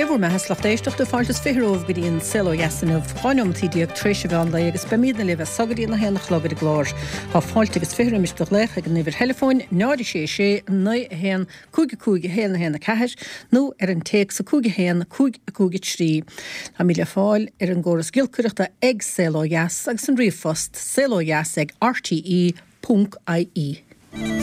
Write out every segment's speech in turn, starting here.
Dé bhur mbeatha 's lucht éisteachta, fáilte is 20 romhaibh go dtí an Saol Ó Dheas inniu, 12 neomatí tar éis an mheán lae agus beimídne libh as so go dtí an 1 a chlog ar an gclár. Tá fáilte agus 20 roimis do ghlaoch ag an uimhir theileafóin 0 6 6 9 1 5 5 1 1 4 nó ar an téacs 5 1 5 5 3. Táimid le fáil ar an gcóras giolcaireachta ag Saol Ó Dheas agus an ríomhphost saolodheas ag rte. Ponc ie.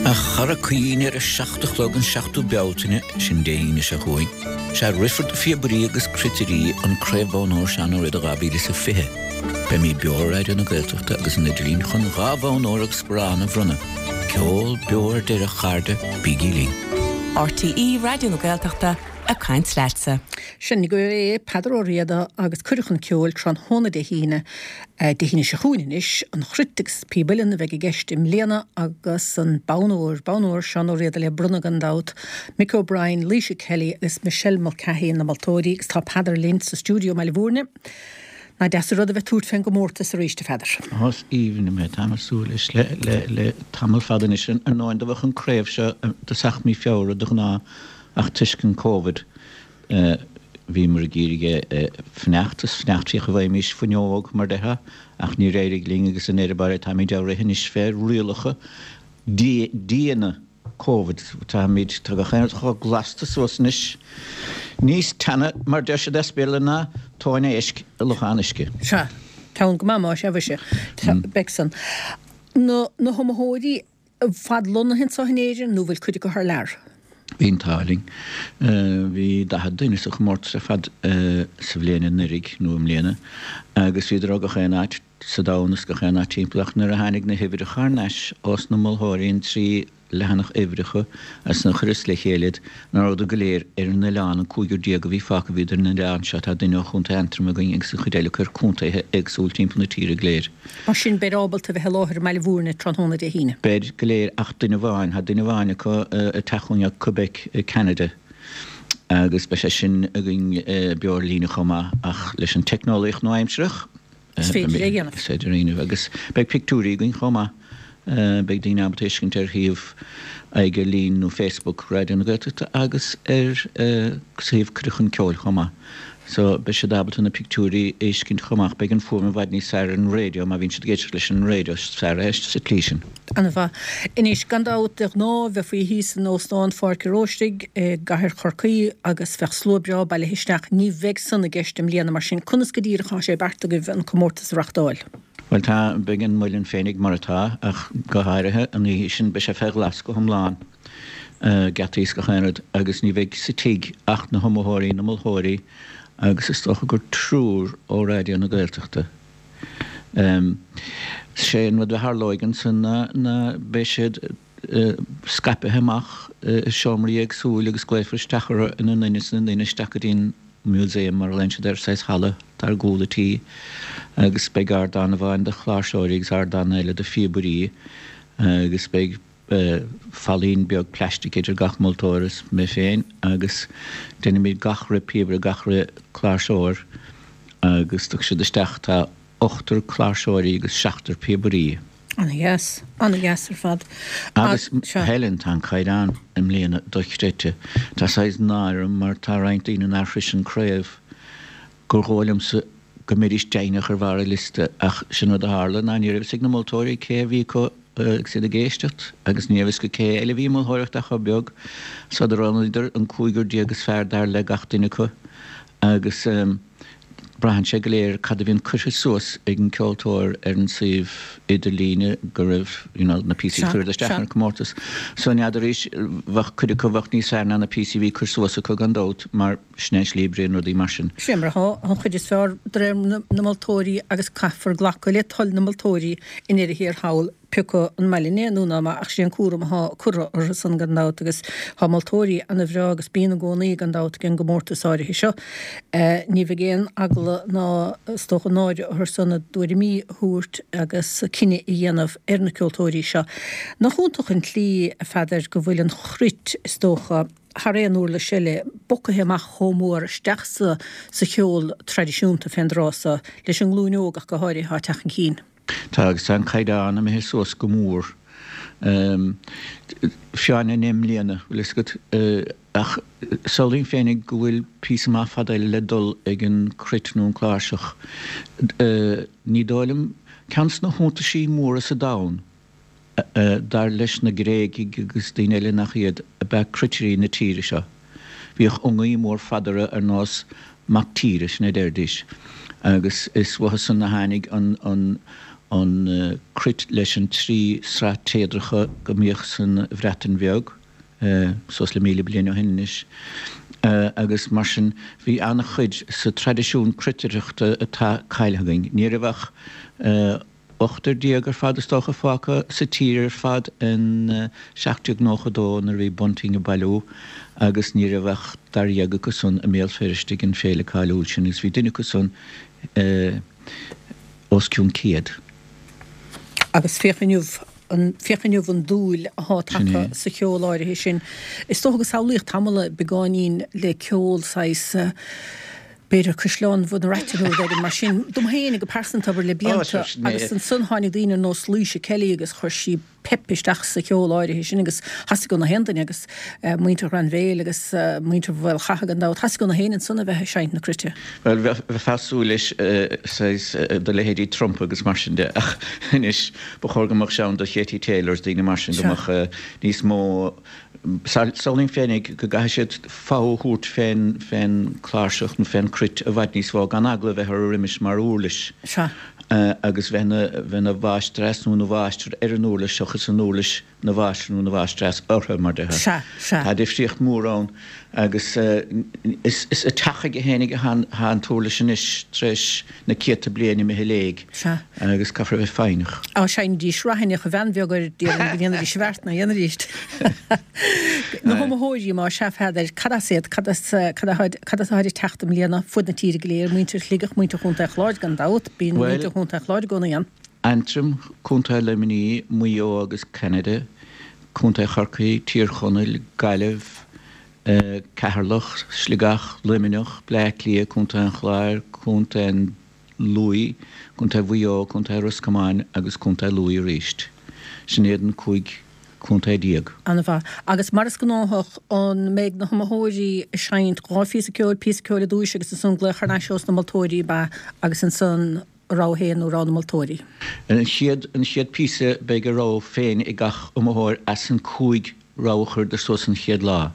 A chara caoin, ar a 7 a chlog an 7ú Bealtaine, sin Dé hAoine seo chugainn, sea rithfear do phíobairí agus cruitirí an Craobh Bonn Óir Seán Ó Riada 2020. Beimid beo ar Raidió na Gaeltachta agus an idirlíon chun 2 bhonn óir agus sparán a bhronnadh. Ceol beo ar deireadh, a chairde, bígí linn. RTÉ Raidió na Gaeltachta ag caint leatsa. Sin agaibh é, Peadar Ó Riada agus Cuireadh Chun Ceoil tráthnóna Dé hAoine, Dé hAoine seo chugainn anois, an chruit agus píob uilleann a bheidh i gceist i mbliana agus an bonn óir, bonn óir Seán Ó Riada le bronnadh gan dabht, Mick O'Brien, Laoise Kelly agus Michelle Mulcahy na moltóirí agus tá Peadar linn sa stiúideo i mBaile Bhúirne. Nach deas an rud a bheith ag tabhairt fén gcomórtas arís, a Pheadair? Ó, is aoibhinn liom é. Táim ag súil leis le tamall fada anois. Ar ndóigh, do bheadh an craobh seo i dtosach mí Feabhra de ghnáth ach toisc an Covid, Bhíomar ag iarraidh é a fanacht is fanacht fiach a bhfaighimís fuinneog mar déarfá ach níor éirigh linn agus i ndeireadh báire táimid á rith anois fé rialacha diana Covid. Táimid, tá gach aon rud chomh glasta suas anois, níos teanna mar deir siad as Béarla ná tóin éisc i lochán uisce. Sea, teann go maith más ea mhuise, beidh san. Na, na hiomaitheoirí, ar fad lonnaithe anseo in Éirinn nó bhfuil cuid acu thar lear? Bhí an t-ádh linn. Bhí 40 duine sa chomórtas ar fad sa bhliain anuraidh, nó i mbliana, agus bhíodar ó gach aon áit sa domhan is gach aon áit timpeall ach nuair a tháinig na huimhreacha thar n-ais ós na molthóirí, an 3 leathanach uimhreacha as a chuireas le chéile iad, ná rabhadar go léir ar an oileán, an cúigear déag a bhí fágtha bhíodar ar an oileán seo, tá duine ó Chontae Aontroim againn agus an chuid eile acu ar contaetha éagsúil timpeall na tíre go léir. Mar sin beid ábalta a bheith i láthair i mBaile Bhúirne tráthnóna Dé hAoine. Beid go léir ach duine amháin. Tá duine amháin acu ag teacht chugainn ó Quebec i Ceanada agus beidh sé sin againn beo ar líne chomh maith ach leis an teicneolaíocht nua-aimsearach Is féidir é a dhéanamh. Is féidir a dhéanamh agus beidh pictiúirí againn chomh maith. Beidh daoine ábalta fheiscint ar shuíomh aghaidh ar líne nó Facebook Raidió na Gaeltachta agus ar suíomh Cuireadh Chun Ceoil chomh maith. So beidh siad ábalta na pictiúirí a fheiscint chomh maith. Beidh an fuaim i bhfad níos fearr ar an raidió má bhíonn siad ag éisteacht leis an raidió is fearr é sa tslí sin. Ana-mhaith. Anois, gan dabht, de ghnáth bheifí thíos in Óstán Pháirc an Róistigh i gcathair Chorcaí agus bheadh slua breá bailithe isteach. Ní bheidh san i gceist i mbliana, mar sin conas go díreach atá sé beartaithe agaibh an comórtas a reachtáil? Bhuel tá, beidh an Muileann féinig mar atá ach go háirithe an oíche sin beidh sé fé ghlas go hiomlán, geataí is gach aon rud agus ní bheidh sa tigh ach na hiomaitheoirí, na molthóirí agus is dócha gur triúr ó Raidió na Gaeltachta. Sé an rud a tharlóidh ansan ná beidh siad scaipthe amach i seomraí éagsúil agus glaofar isteach orthu ina nduine is ina nduine isteach go dtí an museum mar a ghlaonn siad air, saghas halla atá ar gcúl an tí agus beidh ardán amháin do chláirseoirí agus ardán eile do phíobairí agus beidh fallaín beag plaistic idir gach moltóir is mé féin agus déanfaimid gach re píobaire, gach re cláirseoir agus tiocfaidh siad isteach, tá ochtar cláirseoirí agus seachtar píobairí. Ana-dheas. Ana-dheas ar fad. Agus, Helen, tá an caighdeán i mbliana dochreidte. Tá saghas náire orm mar tá roinnt daoine nár shrois an craobh gur dhóigh liomsa go mbeidís deimhneach ar bharr an liosta ach sin rud a tharla ná ní raibh fhios ag na moltóirí cé a bhí acu agus iad ag éisteacht agus ní raibh fhios acu cé eile a bhí ag moltóireacht ach chomh beag so do roghnaíodar an cúigear déag is fearr dar le gach duine acu agus braitheann sé go léir cad a bhíonn curtha suas ag an ceoltóir ar an suíomh idirlíne go raibh you know na píosaí a chuireadar isteach ar an comórtas. So n'fheadaraís, bheadh cuid acu bheadh níos fearr ná na píosaí a bhí curtha suas acu gan dabht mar sin é an slí a oibríonn rudaí mar sin. Sin mar atá, an chuid is fearr de réir na moltóirí agus caithfear glacadh le toil na moltóirí i ndeireadh thiar thall. pé acu an maith linn é nó ná maith, ach sé an cúram athá curtha orthu san gan dabht agus thá moltóirí ana bhreá agus bíonn i gcónaí gan dabht ag an gcomórtas áirithe seo. Ní bheidh aon eagla ná is dócha náire orthu san a dtuairimí a thabhairt agus cinneadh a dhéanamh ar na ceoltóirí seo. Nach iontach an tslí, a Pheadair, go bhfuil an chruit, is dócha, thar aon uirlis eile, bogtha amach chomh mór isteach sa sa cheol traidisiúnta fén dtráth so, leis an nglúin óg ach go háirithe, athá ag teacht chun cinn. Tá, agus tá an caighdeán imithe suas go mór. Fiáine i mbliana, bhfuil fhios agat, ach samhlaím féinig go bhfuil píosa maith fada eile le dul ag an cruit nó an cláirseach. Ní dóigh liom, ceann de na hiontaisí móra sa domhan, Dar leis na Gréigigh agus daoine eile nach iad, ab ea cruitirí na tíre seo. Bhíodh iongaí mór fada orthu ar nós mac tíre, sin a deiridís, agus is uathu san a tháinig an an cruit leis an trí sraith téadracha go mbíodh san Bhreatain Bheag suas le 1,000 bliain ó shin anois. Agus mar sin bhí an-chuid sa traidisiún cruitireachta atá caillthe againn. Ní raibh ach. Ochtar déag ar fad is dócha fágtha sa tír ar fad in 1792 nuair a bhí Bunting ag bailiú agus ní raibh ach daréag acu san i mBéal Feirste ag an féile cáiliúil sin agus bhí duine acu san os cionn 100. Agus féach inniu an, féach inniu an dúil athá tagtha sa cheol áirithe sin. Is dócha go samhlaíodh tamall beagáinín le ceol saghas, b'fhéidir Caisleán Bhun Raite nó rud éigin mar sin, dom féin go pearsanta, abair, le blianta agus ansan tháinig daoine ar nós Laoise Kelly agus chuir sí pep isteach sa cheol áirithe sin agus theastaigh ó na haon duine agus muintir Ghrainbhéil agus muintir Mhaolchatha gan dabht, theastaigh ó na héinne ansan a bheith ag seinnt na cruite. Bhuel, bheifeá ag súil leis saghas do leithéidí Trump agus mar sin de ach anois ba chóir go mbeadh sé ann do Katie Taylor is daoine mar sin, go mbeadh níos mó Samhlaím féinig go gcaithfidh siad fogha a thabhairt fén fén cláirseach nó fén cruit i bhfad níos mó, gan eagla a bheith orthu roimis mar uirlis agus bheith ina bheith ina mháistreás nó ina mháistir ar an uirlis seachas an uirlis ina mháistir nó ina mháistreás orthu, mar déarfá. Tá difríocht mhór ann agus is is ag teacht chuige fhéinig atá an t-uirlis anois tar éis na céadta bliain imithe i léig. Sea. Agus caithfear a bheith foighneach. Á seinnidís raithineach a bhean bheag air, déarfainn go ndéanfaidís a bhfeart ná dhéanfaidís. Na hiomaitheoirí, más ea, a Pheadair, cad as iad, cad as, cad atá, cad as atáid ag teacht i mbliana, fud na tíre go léir, muintir Shligeach, muintir Chontae an Chláir gan dabht, bíonn muintir Chontae an Chláir i gcónaí ann. Aontroim, Contae Luimnigh, Maigh Eo agus Ceanada, Contae Chorcaí, Tír Chonaill, Gaillimh, Ceatharlach, Sligeach, Luimneach, Bleá Cliath, Contae an Chláir, Contae an Lú, Contae Mhaigh Eo, Contae Ros Comáin agus Contae Lú arís. Sin iad an 15 contae. An-mhaith. Agus mar is gnáthach, an mbeidh na hiomaitheoirí ag seinnt dhá phíosa ceoil, píosa ceoil i dtúis agus ansan glaoch thar n-ais ós na moltóirí, ab ea, agus ansan a rogha féin nó rogha na moltóirí? An chéad, an chéad píosa beidh a rogha féin ag gach iomaitheoir as an 5 rogha a chuireadar suas an chéad lá.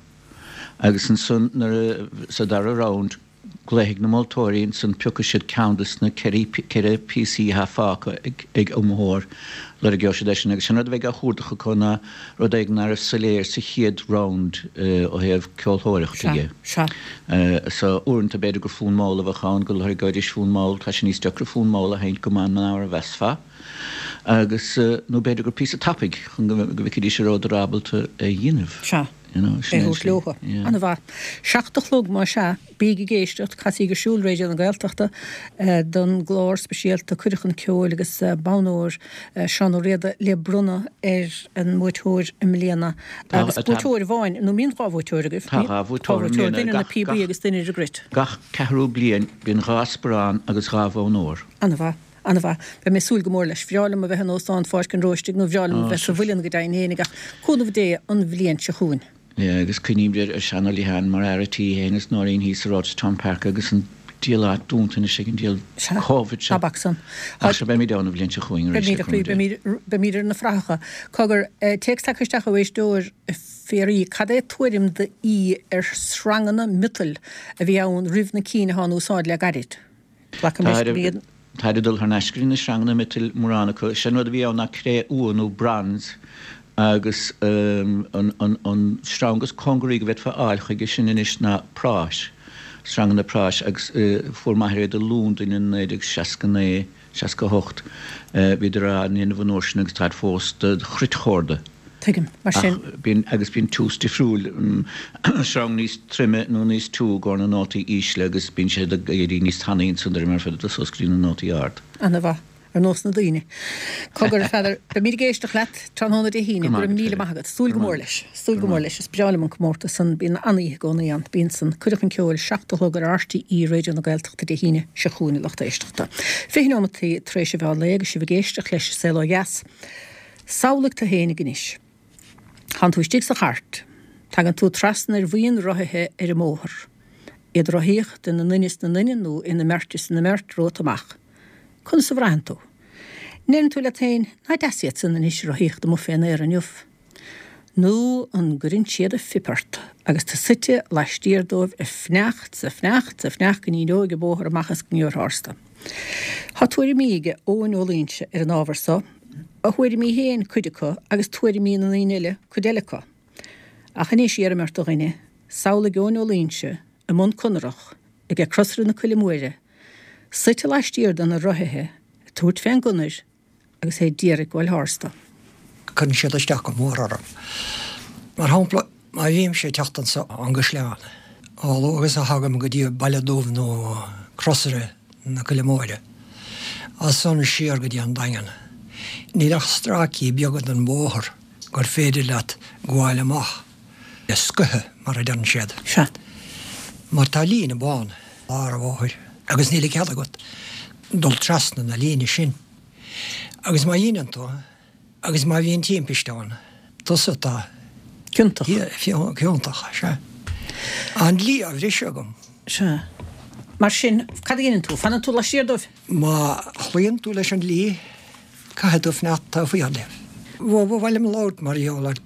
Agus ansan nuair a, sa dara round, Glaofaidh na moltóirí ansan piocfaidh siad ceann des na ceithre píosaí atá fágtha ag iomaitheoir, lorgeoidh siad eisean agus sin rud a bheidh á chuardach acu ná rud éigin ná raibh soiléir sa chéad round ó thaobh ceoltóireachta dhe. Sea. So uaireanta b'fhéidir gur fonn mall a bheadh ann, go lorgeoidís fonn mall, tá sé níos deacra fonn mall a sheinnt go maith ná mar a mheasfá agus nó b'fhéidir gur píosa tapaidh chun go bhfeicfidís an rabhadar ábalta é a dhéanamh. Sea. You know, sin é a thabhairt leothu. An-mhaith. Seacht a chlog más ea, bíg ag éisteacht, casaíg ar siúl Raidió na Gaeltachta don gclár speisialta Cuireadh Chun Ceoil agus bonn óir Seán Ó Riada le bronnadh ar an mbuaiteoir i mbliana. Agus buaiteoir amháin, nó mbíonn dhá bhuaiteoir agaibh? Tá dhá bhuaiteoir i mbliana. Duine ar na píobaí agus duine ar an gcruit. Gach ceathrú bliain bíonn dhá sparán agus dhá bhonn óir. An-mhaith. An-mhaith. Beidh mé ag súil go mór leis. Bhreá liom a bheith in Óstán Pháirc an Róistigh nó bhreá liom a bheith sa Mhuileann go deimhin fhéinig ach cúnamh Dé an bhliain seo chugainn. Yeah, agus cuimhním ar Seán Ó Liatháin mar fhear a' tí féin is Nóirín thíos sa Rochestown Park agus an diabhal áit dúnta anois ag an diabhal Sea, Covid seo. ná bac san. Ach sea, beimid ann an bhliain seo chugainn arís, Beimid, le a chroí, cúnamh Dé. beimid, beimid ar na frathacha. Cogar, téacs tagtha isteach ó éisteoir, a Phiaraí, cad é tuairim d'aoi ar shreanganna miotail a bhí ann roimh na cinn atá in úsáid le gairid? Glacaim leis gurb iad. Táid ag dul thar n-ais go dtí na sreanganna miotail, mórán acu. Sé an rud a bhí ann ná cré-umha nó bronze agus an sreang is cóngaraí go bhféadfá a fháil chuige sin anois ná práis, sreanganna práis agus fuair m'athair iad i Londain in 1969, 68. Bhíodar á ndéanamh an uair sin agus táid fós do chruitchorda. Tuigim. Mar sin. Ach bíonn, agus bíonn tiús difriúil, sreang níos troime nó níos tiú i gcomhair na nótaí ísle agus bíonn siad ag éirí níos tanaí ansan de réir mar a féadfá dul suas go dtí na nótaí ard. Ana-mhaith. Ar nós na daoine. Cogar, a Pheadair, beimid ag éisteacht leat tráthnóna Dé hAoine. Go Go raibh míle maith agat. Súil go mór leis. Súil go mór leis. Is breá liom an comórtas san. Bíonn an-oíche i gcónaí ann. Bíonn san. Cuireadh chun Ceoil, 7 a chlog ar RTÉ Raidió na Gaeltachta Dé hAoine seo chugainn a lucht éisteachta. 20 neomataí tar éis an mheán lae agus sibh ag éisteacht leis An Saol Ó Dheas. Samhlaigh tú fhéinig anois. Tánn tú istigh sa chairt. Tagann tú trasna ar bhuíon rothaithe ar an mbóthar. Iad ag rothaíocht ina nduine is na nduine nó ina mbeirt is ina mbeirt romhat amach. Conas a bhraitheann tú? Ndeireann tú leat féin, nach deas iad san anois ag rothaíocht amuigh fén aer inniu? Nó an gcuireann siad a phip ort agus tú suite laistiar dóibh ag fanacht 's ag fanacht 's ag fanacht go n-éireoidh an bóthar amach is go ngeobhair tharstu. Tá tuairimí aige Eoin Ó Loingsigh ar an ábhar so, a thuairimí féin cuid acu agus tuairimí na ndaoine eile cuid eile acu. Ach anois iarraim ort a dhuine, samhlaigh Eoin Ó Loingsigh i mbun conarach aige Crosaire na Coille Móire, suite laistiar de na rothaithe ag tabhairt fén gconair agus é d'iarraidh gabháil tharstu. Cuireann siad isteach go mór orm. Mar shampla, má bhímse ag teacht anso ón gCaisleán, a luaithe agus a thagaim go dtí Baile Dubh nó Crosaire na Coille Móire, as san siar go dtí an Daingean, níl ach stráicí beaga den bhóthar gur féidir leat gabháil amach le scoitheadh, mar a deireann siad. Sea. Mar tá líne bán i lár an bhóthair agus níl cead agat dul trasna na líne sin. Agus má dheineann tú, agus má bhíonn timpiste ann, tusa atá Ciontach. Ciontach, sea. An dlí á bhriseadh agam. Sea. Mar sin, cad a dheineann tú? Fanann tú laistiar dóibh? Má chloíonn tú leis an dlí, caithfidh tú fanacht taobh thiar díobh. Ba mhaith liom labhairt mar gheall ar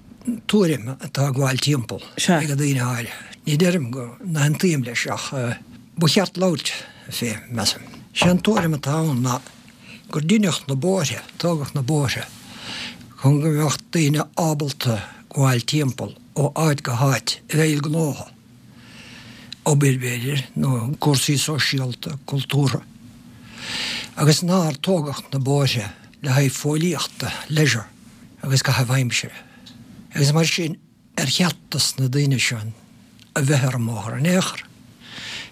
tuairim atá ag gabháil timpeall ag daoine áirithe. Ní deirim go n-aontaím leis ach ba cheart labhairt fé, measaim. Sé an tuairim atá ann ná gur deineadh na bóithre, tógadh na bóithre chun go mbeadh daoine ábalta gabháil timpeall ó áit go háit a bheidh gnótha. obair b'fhéidir, nó cúrsaí sóisialta, cultúrtha, agus nár tógadh na bóithre le haghaidh fóillíochta, leisure, agus caitheamh aimsire. Agus mar sin, ar cheart dos na daoine seo a bheith ar an mbóthar in aon chor?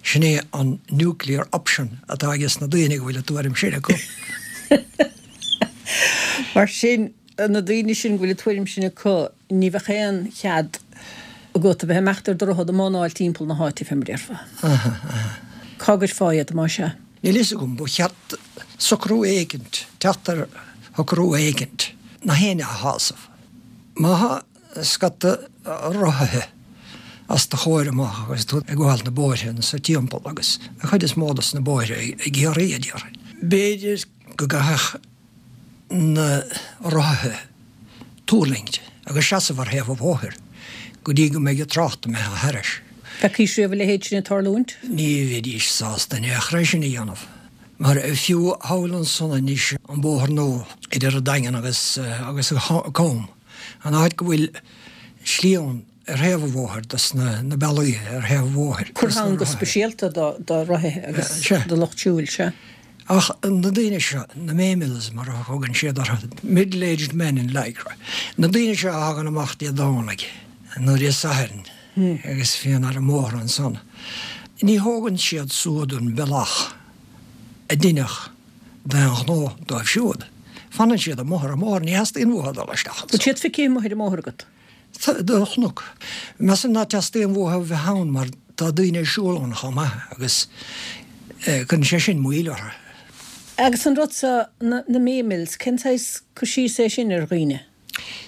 Sin é an nuclear option atá ages na daoine go bhfuil an tuairim sin acu. Mar sin, na daoine sin go bhfuil an tuairim sin acu, ní bheadh aon chead agat a bheith ag imeacht ar do rothar ag mánáil timpeall na háite, fé mar a déarfá. Cá gcuirfeá iad, más ea? Níl fhios agam, ba cheart socrú éicint, teacht ar shocrú éicint, nach éinne a shásamh. Má thá scata rothaithe os do chomhair amach agus tú ag gabháil na bóithre anso timpeall, agus an chuid is mó dos na bóithre i gCiarraí, a déarfainn, b'fhéidir go gcaithfeadh na rothaithe tuirlingt agus seasamh ar thaobh an bhóthair go dtí go mbeidh an trácht imithe thairis. Bhfeicís riamh a leithéid sin ag tarlúint? Ní bheidís sásta in aon chor é sin a dhéanamh. Mar fiú thall ansan anois an bóthar nua idir an Daingean agus agus an Com, an áit go bhfuil slí ann, ar thaobh an bhóthair, dos na bealaí ar thaobh an bhóthair. Curtha ann go speisialta do rothaithe agus do lucht siúil, sea. Ach na daoine seo, na Memils mar a thugann siad orthu, middle aged men in lycra, na daoine seo a thagann amach Dé Domhnaigh nó Dé Sathairn agus bhíonn ar an mbóthar ansan, ní thógann siad suad an bealach a deineadh d'aon ghnó dóibh siúd. Fanann siad amuigh ar an mbóthar, ní theastaíonn uathu dul isteach ansan. Bhfuil siad feicthe amuigh ar an mbóthar agat? Do chonac. Measaim ná teastaíonn uathu a bheith ann mar tá daoine ag siúl ann chomh maith agus cuireann sé sin moill orthu. Agus an rud seo, na Memils, cén saghas cur síos é sin ar dhaoine?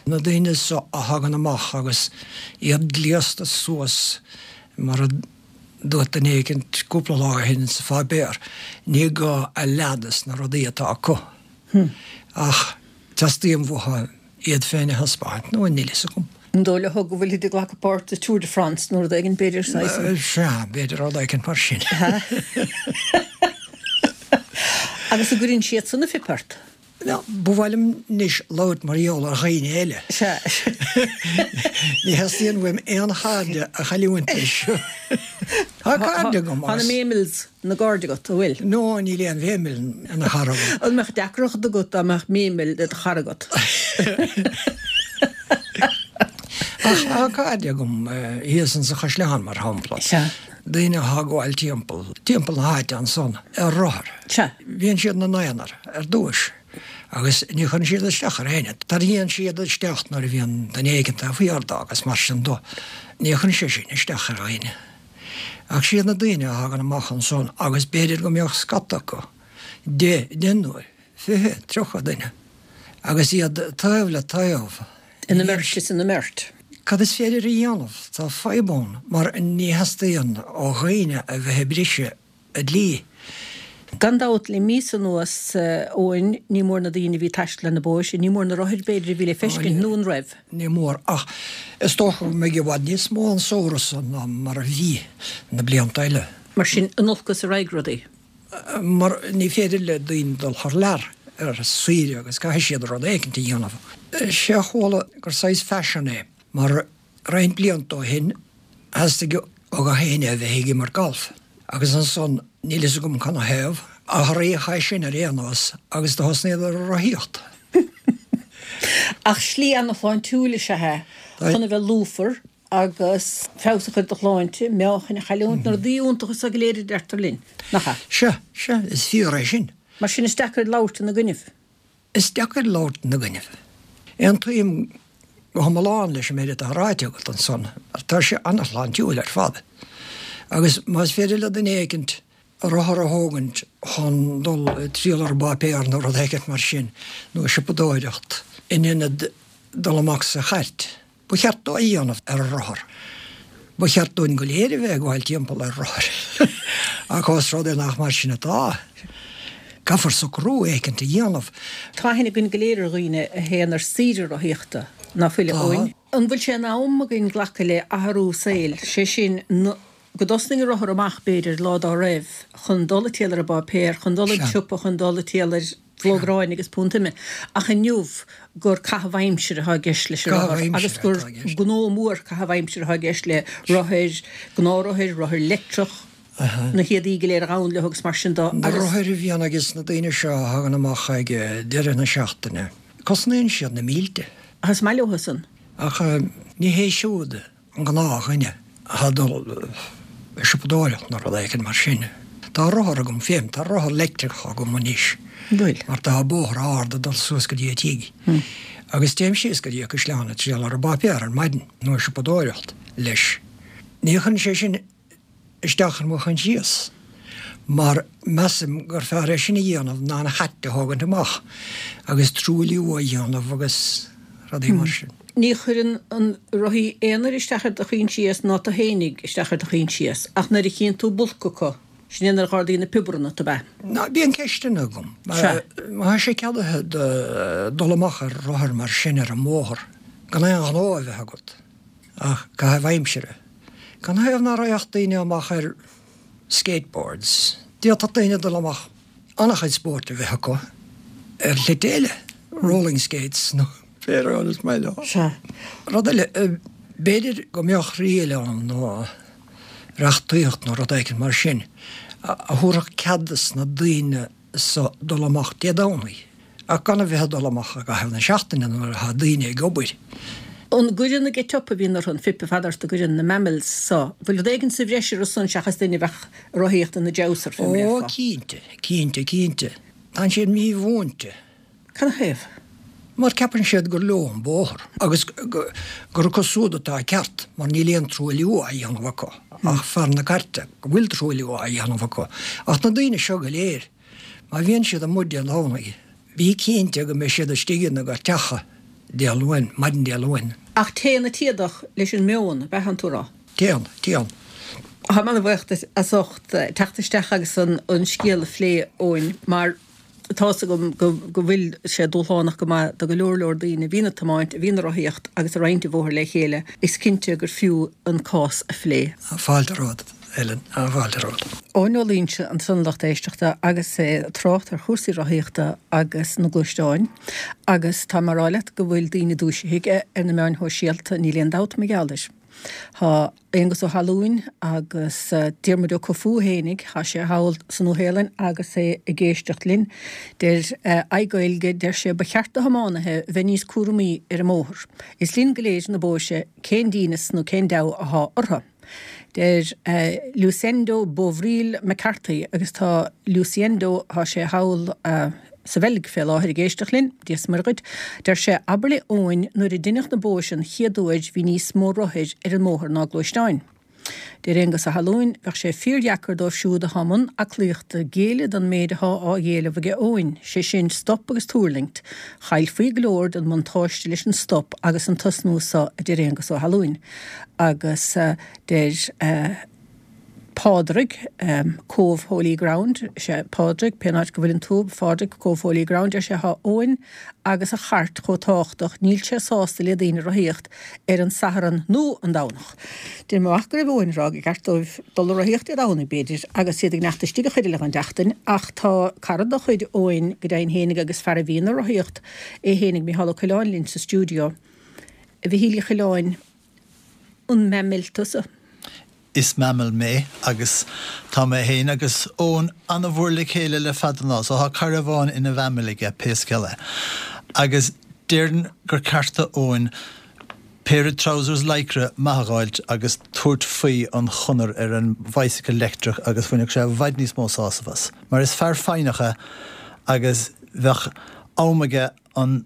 Na daoine seo a thagann amach agus iad gléasta suas mar a dúirt duine éicint cúpla lá ó shin sa pháipéar, ní gá a leath des na rudaí atá acu ach teastaíonn uathu iad féin a thaispeáint, nó níl fhios agam. An dóigh leo go bhfuilid ag glacadh páirt sa Tour de France nó rud éigin, b'fhéidir, saghas. Sea, b'fhéidir rud éicint mar sin. Agus an gcuireann siad san a phip ort? Ba mhaith liom anois labhairt mar gheall ar dhaoine eile. Sea. Ní theastaíonn uaim aon chairde a chailliúint leis seo. Tá cairde agam agus. Tá na Memils ina gcairde agat, an bhfuil? No, níl aon Mhemil ina chara agam. An mbeadh deacracht agat dá mbeadh Memil i do chara agat? Ach tá cairde agam thíos insa Chaisleán, mar shampla. Sea. Daoine atá ag gabháil timpeall, timpeall na háite ansan ar rothar. Sea. Bíonn siad ina n-aonar ar dtúis agus ní chuireann siad isteach ar éinne. Tarraingíonn siad isteach nuair a bhíonn duine éigin taobh thiar dó agus mar sin dó. Ní chuireann sé sin isteach ar dhaoine. Ach siad na daoine a thagann amach ansan agus b'fhéidir go mbeadh scata acu, deichniúr, 20, 30 duine. Agus iad taobh le taobh. Ina mbeirt is ina mbeirt. Cad is féidir a dhéanamh? Tá fadhb ann mar ní theastaíonn ó dhaoine a bheith ag briseadh an dlí. Gan dabht, le míosa anuas, Eoin, ní mór na daoine a bhí ag taisteal ar na bóithre, ní mór na rothair, b'fhéidir, a bhí le feiscint, nó an raibh? Ní mór, ach is dócha go mbeidh i bhfad níos mó an samhradh so ná mar a bhí na blianta eile. Mar sin, in olcas a raghaidh rudaí. Mar ní féidir le daoine dul thar lear ar saoire agus caithfidh siad rud éicint a dhéanamh. Sé a chuala gur saghas faisean é, mar roinnt blianta ó shin theastaigh ó gach éinne a bheith ag imirt galf agus ansan níl fhios agam canathaobh, athraíodh é sin ar aon nós agus do thosnaíodar ag rothaíocht. Ach slí ana-shláintiúil is ea é chun a bheith lúfar agus feabhas a chur ar do shláinte, meáchain a chailliúint, na rudaí iontacha so go léir a deirtear linn, nach ea? Sea, sea, is fíor é sin. Mar sin is deacair labhairt ina gcoinnibh. Is deacair labhairt ina gcoinnibh. Aontaím go hiomlán leis an méid atá ráite agat ansan, mar tá sé an-shláintiúil ar fad. Agus más féidir le duine éicint rothar a thógaint chun dul ag triall ar an bpáipéar nó rud éicint mar sin, nó ag siopadóireacht, in ionad dul amach sa chairt, Ba cheart dó é a dhéanamh ar a rothar. Ba cheart dúinn go léir a bheith ag gabháil timpeall ar rothair. Ach ós rud é nach mar sin atá, caithfear socrú éicint a dhéanamh. Tá aithne againn go léir ar dhaoine a théann ar saoire rothaíochta, ná fuil, a Eoin? An bhfuil sé in am againn glacadh le athrú saoil, sé sin, go dtosnaigh an rothar amach, b'fhéidir, lá dá raibh, chun dul ag triall ar an bpáipéar, chun dul an tsiopa, chun dul ag triall ar phlóg aráin agus punt ime, ach inniu gur caitheamh aimsire atá i gceist leis an rothar agus gur gnó mór caitheamh aimsire atá i gceist le rothair, gnáthrothair, rothair leictreach, na héadaí go léir a ghabhann leo agus mar sin de Na rothair a bhíonn ages na daoine seo a thagann amach ag deireadh na seachtaine, cosnaíonn siad na mílte. Ach is maith leo san. Ach ní hé siúd an gnáthdhuine atá ag dul ag siopadóireacht nó rud éicint mar sin. Tá rothar agam féin, tá rothar leictreach agam anois mar tá bóthar ard ag dul suas go dtí an tigh agus téim síos go dtí an caisleán ag triall ar an bpáipéar ar maidin nó ag siopadóireacht leis. Ní chuireann sé sin isteach ar mo choinsias mar measaim gur fearr é sin a dhéanamh ná an chairt a thógaint amach agus truailliú a dhéanamh agus rudaí mar sin. Ní chuireann an rothaí aonair isteach ar do choinsias ná tú fhéinig isteach ar do choinsias ach nuair a chíonn tú bulc acu, sin é nuair a dh'ardaíonn na piobaranna ort, ab ea? Ná, bíonn ceisteanna agam. Sea. Má tá sé ceadaithe dul amach ar rothar mar sin ar an mbóthar gan aon ghnó a bheith agat ach caitheamh aimsire, Canathaobh ná raghadh daoine amach ar skateboards? D'fhéadfadh daoine dul amach an-chuid spóirt a bheith acu ar shlite eile, rolling skates nó pé rud is maith leo. Sea. Rud eile, b'fhéidir go mbeadh riail ann nó reachtaíocht nó rud éicint mar sin a thabharfadh cead dos na daoine so dul amach Dé Domhnaigh, ach gan a bheith ag dul amach i gcaitheamh na seachtaine nuair atá daoine ag obair. An gcuireann na get-up a bhíonn orthu, an fuipe fada ort, an gcuireann na mammals so, bhfuil rud éigin sa bhreis orthu san seachas duine a bheadh ag rothaíocht ina jowser, fé mar a Ó, déarfá? cinnte, cinnte, cinnte. Tánn siad mímhúinte. Canathaobh? Mar ceapann siad gur leo an bóthar agus gur acu siúd atá an ceart mar níl aon truailliú á dhéanamh acu ach fear na cairte go bhfuil truailliú á dhéanamh acu. Ach na daoine seo go léir, má bhíonn siad amuigh Dé Domhnaigh, bí cinnte go mbeidh siad istigh ina gcairteacha Dé Luain, maidin Dé Luain. Ach téann an t-éadach leis an meon, ab ea atánn tú a rá? Téann, téann. Táim an-bhuíoch duit as ucht teacht isteach agus an scéal a phlé, Eoin, mar. Tá's agam go bhfuil sé dúshlánach go maith do go leor leor daoine a bhíonn ag tiomáint, a bhíonn ag rothaíocht agus ag roinnt an bhóthair le chéile. Is cinnte gur fiú an cás a phlé. Fáilte romhat, Ellen, fáilte romhat. Eoin Ó Loingsigh ansan a lucht éisteachta agus é ag trácht ar chúrsaí rothaíochta agus na gluaisteáin agus tá mé a rá leat go bhfuil daoine dúisithe aige ar na meáin shóisialta, níl aon dabht mar gheall air. Tá Aonghus Ó hAlúin agus Diarmuid Ó Cofú fhéinig, tá sé thall sa Nua-Shéalainn agus é ag éisteacht linn. Deir iGaeilge, deir sé, ba cheart do thiománaithe bheith níos cúramaí ar an mbóthar. Is linn go léir na bóithre, cén dínit nó cén deabhadh athá orthu? Deir Lucendo Bovril McCarthy, agus tá Luciendo, tá sé thall sa Bheilg fé láthair ag éisteacht linn, Dia 's Muire dhuit, deir sé, abair le Eoin, nuair a deineadh na bóithre an chéad uair bhí níos mó rothair ar an mbóthar ná gluaisteáin. Deir Aengus Ó hAlúin, Bheadh sé fíordheacair dóibh siúd athá i mbun aclaíochta géilleadh don méid athá á éileamh aige Eoin, sé sin stop agus tuirlingt. Chaillfí go leor den mbuntáiste leis an stop agus an tosnú so, a deir Aengus Ó hAlúin. Agus deir Pádraig, Cóbh Holy Ground, sea, Pádraig, pén áit go bhfuileann tú, a Phádraig, Cóbh Holy Ground, deir sé, thá Eoin agus a chairt chomh tábhachtach, níl sé sásta le daoine rothaíocht ar an Satharn nó an Domhnach. Deinim amach go raibh Eoin ag rá gur ceart dóibh dul a rothaíocht Dé Domhnaigh, b'fhéidir, agus iad ag neacht istigh an chuid eile den tseachtain, ach tá cara de chuid Eoin go deimhin fhéinig agus fear a bhíonn ag rothaíocht é fhéinig, Micheál Ó Coileáin linn sa stiúideo. A Mhichíl Uí Choileáin, an mammal tusa? Is mammal mé agus tá mé féin agus Eoin ana-mhór le chéile le fada an lá so tá cara amháin ina mhammal aige pé scéal é. Agus déarfainn gur ceart do Eoin péire trousers lycra maith a dh'fháilt agus tabhairt faoi an chonair ar an bhicycle leictreach agus bhainfeadh sé i bhfad níos mó sásamh as. Mar is fear foighneach é agus bheadh am aige an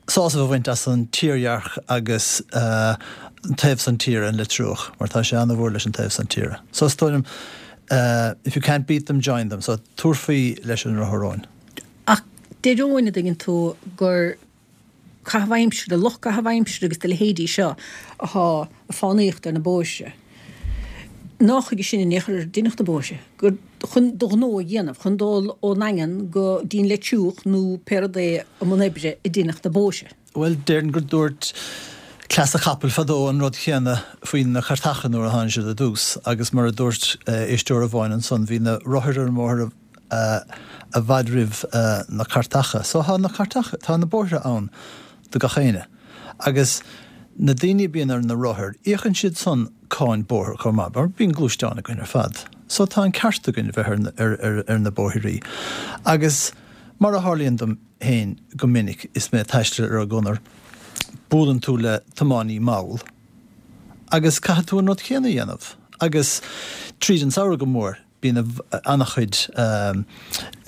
sásamh a bhaint as an tírdhreach agus an taobh san tíre, an Leitriúch, mar tá sé ana-mhór leis an taobh san tíre. So is dóigh liom, if you can't beat them, join them. So tabhair faoi leis an rothar, Eoin. Ach deir Eoin, a dtuigeann tú, gur caitheamh aimsire, lucht caitheamh aimsire agus do leithéidí seo athá ag fánaíocht ar na bóithre. Nách chuige sin in aon chor ar deineadh na bóithre, gur chun do ghnó a dhéanamh, chun dul ón nDaingean go dtí'n Leitriúch nó pé rud é i mbun oibre a deineadh na bóithre. Bhuel, déarfainn gur dúirt cleas an chapaill fadó an rud chéanna faoi na cairteacha nuair a tháinig siad ar dtús agus mar a dúirt éisteoir amháin ansan, bhí na rothair ar an mbóthar i bhfad roimh na cairteacha. So tá na cairteacha, tá na bóithre ann do gach éinne. Agus na daoine a bíonn ar na rothair, íocann siad san cáin bóthair chomh maith, mar bíonn gluaisteáin againn ar fad. So tá an ceart againn a bheith ar, ar, ar na bóithrí. Agus mar a tharlaíonn dom féin go minic is mé ag taisteal ar an gconair, buaileann tú le tiománaí mall agus caithfidh tú an rud céanna a dhéanamh. Agus tríd an samhradh go mór, Bíonn an-chuid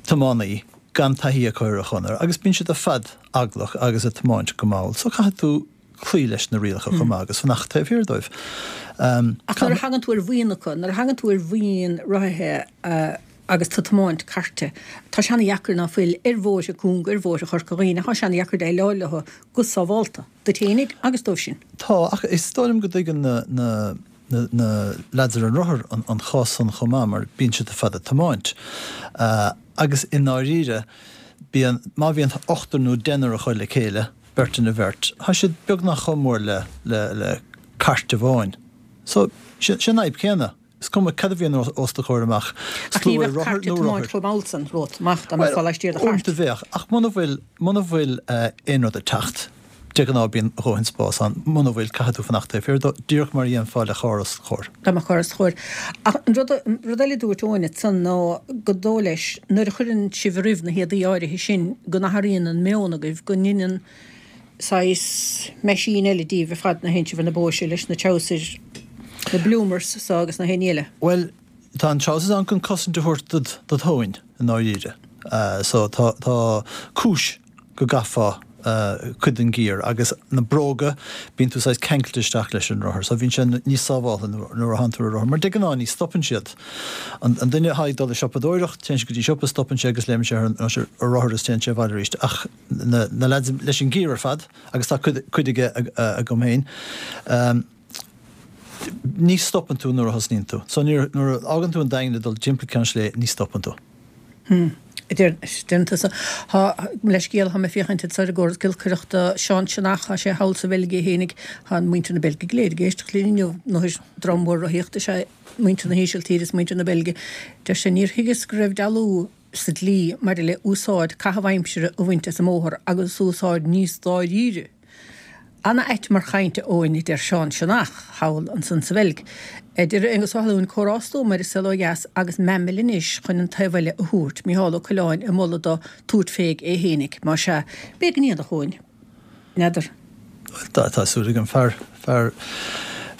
tiománaí gan taithí acu ar an chonair agus bíonn siad ar fad eaglach agus ag tiomáint go mall so caithfidh tú cloí leis na rialacha chomh maith agus fanacht taobh thiar dóibh. Ach nuair a thagann tú ar bhuíon acu, nuair a thagann tú ar bhuíon rothaithe agus tú ag tiomáint cairte, tá sé ana-dheacair ná fuil ar bhóithre cúnga, ar bhóithre Chorca Dhuibhne, tá sé ana-dheacair déileáil leo go sábhálta, duit fhéinig agus dóibh sin. Tá, ach is dóigh liom go dtuigeann na. na leaids ar an rothar an chás san chomh maith mar bíonn siad ar fad ag tiomáint. Agus i ndáiríre, bíonn, má bhíonn ochtar nó deichniúr acu le chéile, beirt ina bheirt, tá siad beagnach chomh mór le, le, le cairt amháin. So, sé an fhadhb céanna. Is cuma cad a bhíonn os do chomhair amach, Ach ní slua bheadh rothair cairt ag nó tiomáint rothair. chomh mall san romhat amach dá mbeifeá laistiar de chairt. Uaireanta bheadh, ach muna bhfuil, muna bhfuil aon rud ag teacht, De ghnáth bíonn a dhóthain spás ann. Muna bhfuil, caithfidh tú fanacht taobh thiar dó, díreach mar a dhéanfá le carr os do chomhair. Dá mbeadh carr os do chomhair. Ach an rud, rud eile a dúirt Eoin ansan ná gur dóigh leis, nuair a chuireann sibh roimh na héadaí áirithe sin, go n-athraíonn an meon agaibh, go ndeineann saghas meaisín eile díbh ar fad nuair a théann sibh ar na bóithre leis na treabhsair, na bloomers so agus na haon ní eile. Bhuel, tá an trousers ann chun cosaint a thabhairt dod, dod thóin, i ndáiríre. So tá, tá cúis. go gcaithfeá cuid den gear agus na bróga, bíonn tú saghas ceangailte isteach leis an rothar so bíonn sé níos sábháltha nuair a thánn tú ar rothar mar de ghnáth ní stopann siad. An duine atá ag dul ag siopadóireacht, téann sé go dtí siopa, stopann sé agus léimeann sé ar an rothar is téann sé abhaile arís ach na na lads leis an gear ar fad agus tá cuid cuid aige agam féin, Ní stopann tú nuair a thosnaíonn tú. So nuair a fhágann tú an Daingean ag dul timpeall Ceann Sléibhe, ní stopann tú. Hmm. Deireann tusa. Tá, leithscéal, tá mé ag féachaint anseo ar an gcóras giolcaireachta. Seán Sionnach, tá sé thall sa Bheilg é fhéinig. Tá muintir na Beilge go léir ag éisteacht linn inniu. Nó dream mór rothaíochta is ea muintir na hÍsiltíre is muintir na Beilge. Deir sé, níor thuigeas go raibh dealú sa dlí maidir le úsáid caitheamh aimsire a bhaint as an mbóthar agus úsáid níos dáiríre. Ana-ait mar chaint, a Eoin, a deir Seán Sionnach, thall ansan sa Bheilg. A deir Aengus Ó hAlúin, comhrá stuama ar An Saol Ó Dheas agus mammal anois chun an taobh eile a thabhairt, Micheál Ó Coileáin ag moladh dó tabhairt féig é fhéinig. Má sea, b'fhéidir go ndéanfadh, Eoin. N'fheadar. Bhuel, tá súil agam. Fear, fear,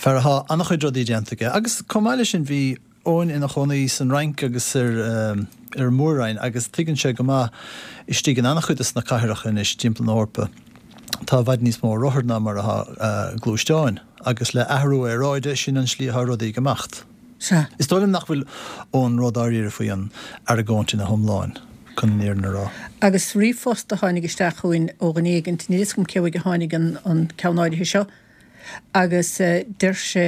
fear athá an-chuid rudaí déanta aige. Agus chomh maith leis sin bhí Eoin ina chónaí san Fhrainc agus ar an Mór-Roinn agus tuigeann sé go maith istigh in an-chuid de na cathracha anois timpeall na hEorpa. Tá i bhfad níos mó rothar ná mar atá gluaisteáin, agus le athrú aeráide, sin an slí atá rudaí ag imeacht. Sea. Is dóigh liom nach bhfuil Eoin ródháiríre faoi an argóint ina hiomláin, chun an fhírinne a rá. Agus ríomhphost a tháinig isteach chugainn ó dhuine éigint, níl fhios agam cé uaidh a tháinig an ceann áirithe seo, agus deir sé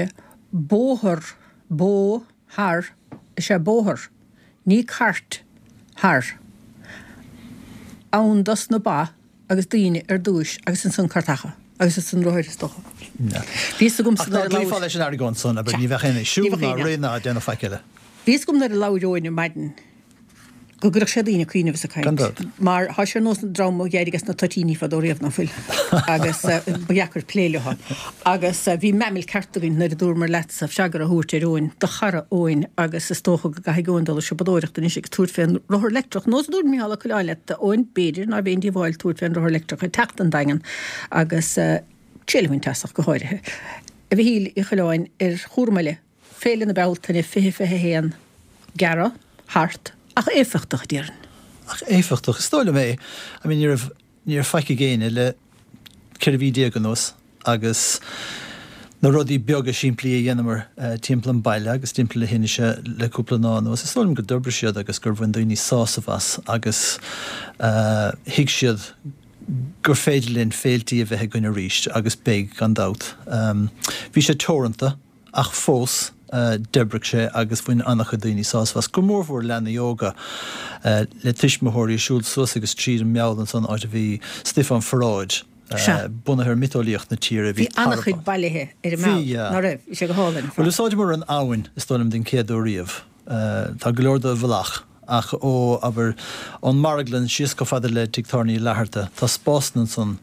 bóthar, bó thar, is ea bóthar, ní cairt thar, ann dos na ba, agus daoine ar dtúis agus ansan cairteacha agus ansan rothair is dócha. Bhí fhios agamsa nuair a labhair. Ach dá gcloífeá leis an argóint san, abair, ní bheadh éinne ag siúl ná rith ná ag déanamh faic eile. Bhí fhios agam nuair a labhair Eoin ar maidin go gcuirfeadh sé daoine ag cuimhneamh is ag caint. Gan dabht. Mar tá sé ar nós an dream a d'éirigh as na toitíní fadó riamh, ná fuil? Agus ba dheacair plé leo. Agus bhí meaimil ceart againn nuair a dúramar leatsa freagra a thabhairt ar Eoin, do chara Eoin, agus is dócha go gcaithfidh Eoin dul ag siopadóireacht anois agus tabhairt fén rothar leictreach. Nós a dúirt Micheál Ó Coileáin leat, a Eoin, b'fhéidir nárbh aon díobháil tabhairt fén rothar leictreach ag teacht don Daingean agus triail a bhaint as ach go háirithe. A Mhichíl Uí Choileáin, ar chúram eile, Féile na Bealtaine 2021, gearradh thart ach éifeachtach, déarfainn. Ach éifeachtach, is dóigh liom é. I mean, ní raibh. Ní raibh faic ag éinne le 14 mhí anuas agus na rudaí beaga simplí a dheineamar timpeall an bhaile agus timpeall na hInse le cúpla lá anuas, is dóigh liom go d'oibrigh siad agus gur bhain daoine sásamh as agus thuig siad gur féidir linn féiltí a bheith againn arís agus beidh gan dabht. Bhí sé teoranta. Ach fós, d'oibrigh sé agus bhain an-chuid daoine sásamh as, go mórmhór leanaí óga, le tuismitheoirí ag siúl suas agus tríd an Meall ansan, áit a bhí stuif ón pharáid, bunaithe ar mhiotaseolaíocht na tíre. Bhí an-chuid bailithe ar an Meall, ná raibh? Bhí sé go hálainn ar fad. Bhuel, úsáideamar an abhainn, is dóigh liom, den chéad uair riamh. Tá go leor de i bhfolach, ach ó, abair, ón marglann síos chomh fada le Tigh Tábhairne Uí Fhlatharta, tá spásanna ansan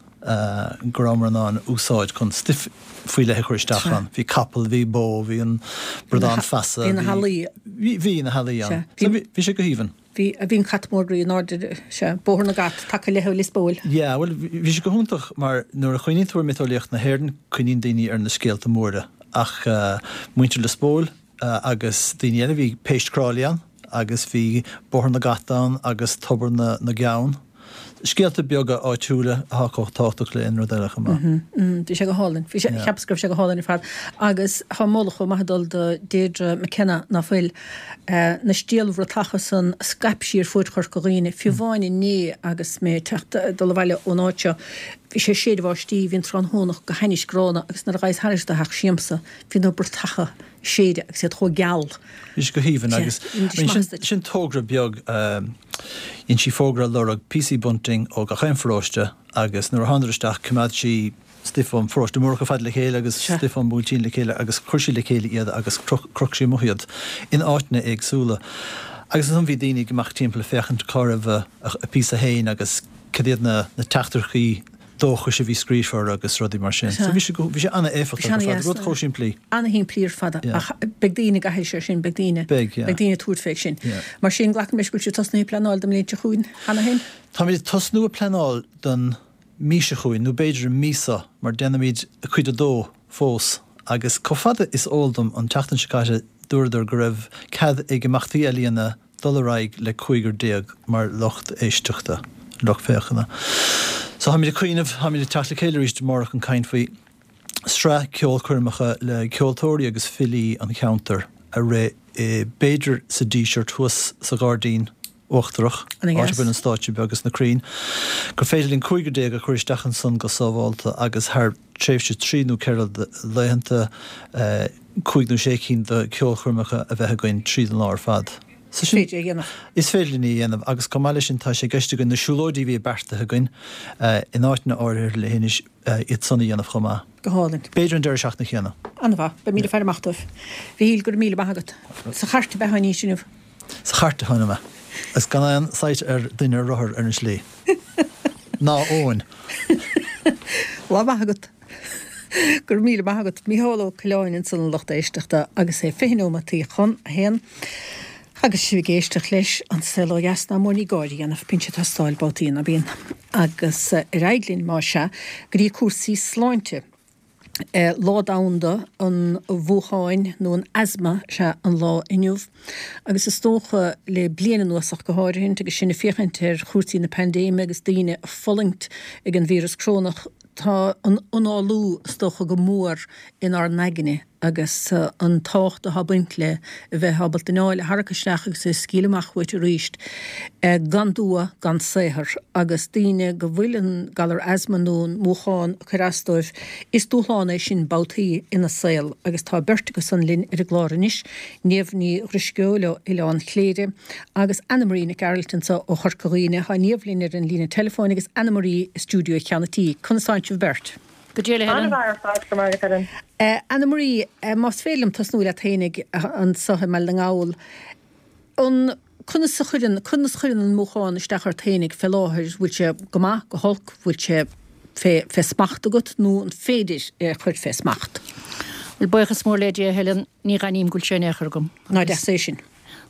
go rabhamar in ann úsáid chun stuif faoi leith a chur isteach ann. Bhí capall, bhí bó, bhí an bradán feasa, bhí. Bhí na healaí. Bhí na healaí ann. So bhí sé go haoibhinn. Bhí, bhí an cat mór groí in airde, sea, Bóthar na gCat, taca le Lios Póil. Yeah, bhuel, bhí sé go hiontach mar nuair a chuimhníonn tú ar mhiotaseolaíocht na hÉireann, cuimhníonn daoine ar na scéalta móra ach muintir Lios Póil, agus daoine eile, bhí Péist Crawley ann agus bhí Bóthar na gCat ann agus Tobar na gCeann. Scéalta beaga áitiúla atá chomh tábhachtach le aon rud eile chomh maith. Bhí sé go hálainn. Bhí sé, cheapas go raibh sé go hálainn ar fad. Agus tá moladh chomh maith ag dul do Deirdre McKenna, ná fuil, na stiallbhratacha san a scaip sí ar fuaid Chorca Dhuibhne, fiú amháin inné agus mé ag teacht, ag dul abhaile ón áit seo, bhí sé ag séideadh báistí, bhí an tráthnóna go hainnis gránna agus nuair a ghabhas thairis do theach siamsa, Bhí na bratacha ag séideadh agus iad chomh geal. Bhí sé go haoibhinn agus sin togra beag, dhein sí fógra ag lorg píosaí bunting ó gach aon pharóiste agus nuair a thánadar isteach choimeád sí stuif ón pharóiste mór chomh fada le chéile agus stuif ón mBuailtín le chéile agus chuir sí le chéile iad agus chroch sí amuigh iad in áiteanna éagsúla. Agus ansan bhí daoine ag imeacht timpeall ag féachaint cá raibh a bpíosa féin agus cad iad na teachtaireachtaí dóchais a bhí scríofa orthu agus rudaí mar sin. So bhí sé, bhí sé an-éifeachtach ar fad, rud chomh simplí. An-shimplí ar fad ach beidh daoine ag aithris air sin, beidh daoine, beidh, yeah. beidh daoine ag tabhairt fé sin. Yeah. Mar sin, glacaim leis go bhfuil sibh tosnaithe ag pleanáil don mbliain seo chugainn cheana féin? Táimid ag tosnú ag pleanáil don mí seo chugainn, nó b'fhéidir an mí seo, mar déanaimid cuid a dó fós agus chomh fada is eol dom an tseachtain seo caite dúradar go raibh cead ag imeachtaí ealaíona dul ar aghaidh le 15 mar lucht éisteachta, lucht féachana. So táimid ag cuimhneamh, táimid ag teacht le chéile arís amárach chun caint faoi sraith ceolchoirmeacha le ceoltóirí agus filí an cheantair a rith i, b'fhéidir sa Díseart thuas sa Ghairdín Uachtarach, áit a bhfuil an stáitse beag agus na crainn, gur féidir linn 15 a chur isteach ansan go sábhálta agus thar tréimhse 3 nó 4 laethanta, 5 nó 6 cinn de cheolchoirmeacha a bheith againn tríd an lá ar fad. So sin. Is féidir é a dhéanamh. Is féidir linn é a dhéanamh agus chomh maith leis sin tá sé i gceist againn na siúlóidí a bhí beartaithe againn in áiteanna áirithe le hInis, iad san a dhéanamh chomh maith. Go hálainn. B'fhéidir an deireadh seachtaine chéanna. An-mhaith. Beimid ag faire amach dóibh. Mhichíl, go raibh míle maith agat. Sa chairt ab ea tháinís inniu? Sa chairt a tháinig mé. Agus gan aon sight ar duine ar rothar ar an slí. Ná Eoin. Lá maith agat. Go raibh míle maith agat. Mícheál Ó Coileáin ansan a lucht éisteachta agus é 20 nóimeataí chun a haon agus sibh ag éisteacht leis An Saol Ó Dheas ná mór ní gáire a dhéanamh, bíonn sé ag teastáil babhtaí ná bíonn. Agus ar aghaidh linn más ea go dtí cúrsaí sláinte. Lá Domhanda an Mhúcháin nó an Asma is ea an lá inniu agus is dócha le bliain anuas ach go háirithint agus sinn ag féachaint ar chúrsaí na paindéime agus daoine ag fulaingt ag an víreas crónach. Tá an análú, is dócha, go mór inár n-aigne agus an tábhacht atá ag baint le a bheith ábalta anáil a tharrac isteach agus a scaoileadh amach uait arís gan dua, gan saothar. Agus daoine go bhfuil an galar asma nó an múchán ag cur as dóibh, is dúshlán é sin babhtaí ina saol. Agus tá beirt acu san linn ar an gclár anois, Niamh Ní Dhrisceoil ó Oileán Chléire agus Anna Marie Nic Gearailt anseo ó Chorca Dhuibhne. Tá Niamh linn ar an líne teileafóin agus Anna Marie i stiúideo Cheann an Tí. Conas tánn sibh beirt? Go dea, a Helen. An-mhaith ar fad, go raibh maith agat, Helen. Anna Marie, más féidir liom tosnú leat fhéinig anseo i mBaile na nGall. An, conas a chuireann, conas a chuireann an múchán isteach ort fhéinig fé láthair, bhfuil sé go maith, go holc, bhfuil sé fé, fé smacht agat nó an féidir é a chur fé smacht? Bhuel, buíochas mór le Dia, a Helen, ní dh'aithním go bhfuil sé in aon chor agam. Nach deas é sin.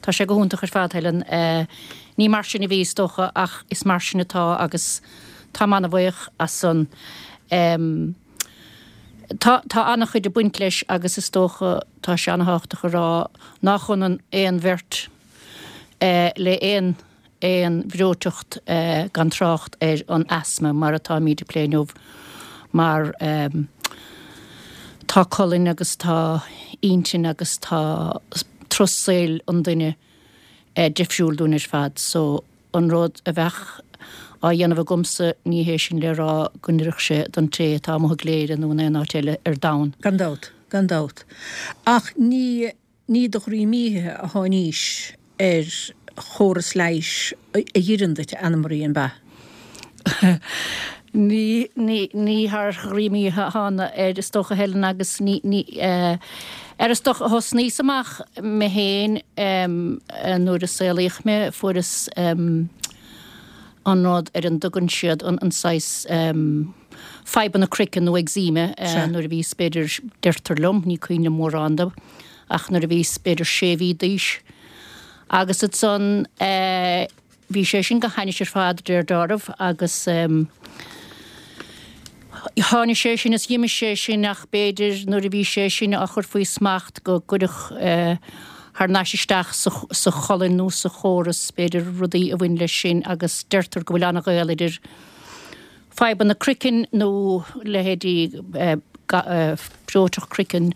Tá sé go hiontach ar fad, Helen. Ní mar sin a bhí, is dócha, ach is mar sin atá agus táim an-bhuíoch as san. Tá, tá an-chuid ag baint leis agus is dócha, tá sé an-thábhachtach a rá nách ionann aon bheirt le aon aon bhreoiteacht gan trácht ar an asma mar atáimid ag plé inniu mar tá colainn agus tá intinn agus tá turas saoil an duine difriúil dúinn ar fad so an rud a bheadh á dhéanamh agamsa ní hé sin le rá go n-oirfeadh sé don té atá amuigh i gCléire nó in aon áit eile ar domhan. Gan dabht, gan dabht. Ach ní. Ní de dhroim oíche a tháinís ar chóras leighis a dh'oireann duit, a Anna Marie, an b'ea? Ní, ní, ní thar dhroim oíche a thána air, is dócha, Helen, agus ní, ní, ar is dócha, thosnaíos amach mé féin nuair a saolaíodh mé, fuaireas an rud ar an dtugann siad an, an saghas, fadhbanna croiceann nó eczema nuair a bhíos b'fhéidir, deirtear liom, ní cuimhin liom mórán de, ach nuair a bhíos b'fhéidir sé mhí d'aois. Agus ansan bhí sé sin go hainnis ar fad, deir deáramh, agus tháinig sé sin is dh'imigh sé sin ach b'fhéidir nuair a bhí sé sin á chur faoi smacht go gcuireadh thar n-ais isteach sa cholainn nó sa chóras b'fhéidir rudaí a bhain leis sin agus deirtear go bhfuil an-ghaol idir fadhbanna croicinn nó leithéidí breoiteacht croicinn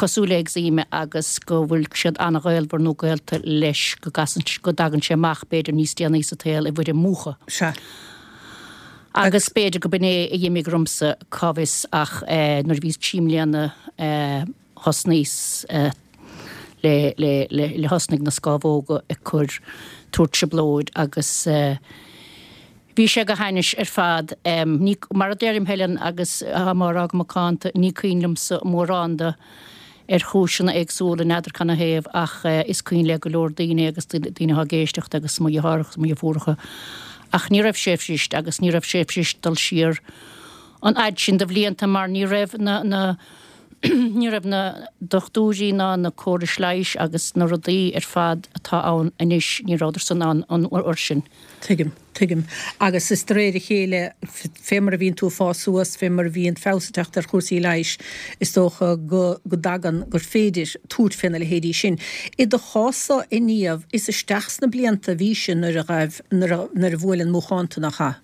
cosúil le eczema agus go bhfuil siad an-ghaolmhar nó gaolta leis, go gcasann, go dtagann sé amach b'fhéidir níos déanaí sa tsaol i bhfoirm múchadh. Sea. Agus b'fhéidir go b'in é a dh'imigh ormsa, cá bhfios, ach nuair a bhíos trí mbliana thosnaíos le, le, le, le thosnaigh na scámhóga ag cur, tabhairt trioblóid agus bhí sé go hainnis ar fad. Ní, mar a deirim Helen agus táim á rá go macánta, ní cuimhin liomsa mórán de ar chúiseanna éagsúla, n'fheadar canathaobh ach is cuimhin le go leor daoine agus daoine atá ag éisteacht agus mo dheartháireacha agus mo dheirfiúracha ach ní raibh sé fuirist agus ní raibh sé fuirist dul siar an fhad sin de bhlianta mar ní raibh na, na, Ní raibh na dochtúirí ná na córais leighis agus na rudaí ar fad atá ann anois, ní rabhadar san ann an uair sin. Tuigim, tuigim. Agus is de réir a chéile, fé mar a bhíonn tú ag fás suas, fé mar a bhíonn feabhas ag teacht ar chúrsaí leighis, is dócha go, go dtagann, gur féidir tabhairt fé na leithéidí sin. I do chás-sa, a Niamh, is isteach sna blianta a bhí sé nuair a ghaibh, nuair a, nuair a bhuail an múchán tú, nach ea?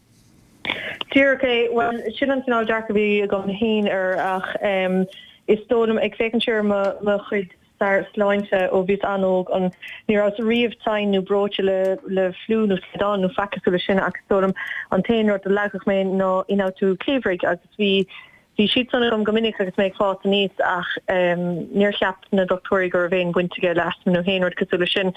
Díreach é. Bhuel, sin an cineál dearcadh a bhí agam féin air ach is dóigh liom, ag féachaint siar ar mo mo chuid stair sláinte ó bhíos an-óg, an ní rabhas riamh tinn nó breoite le le fliú nó slaghdán nó faic cosúil leis sin ach is dóigh liom an t-aon rud a leagfadh mé ná ionfhabhtú cliabhraigh agus bhí Bhí siad san agam go minic agus mé ag fás aníos ach níor cheap na dochtúirí go raibh aon bhaint aige le asma nó aon rud cosúil leis sin.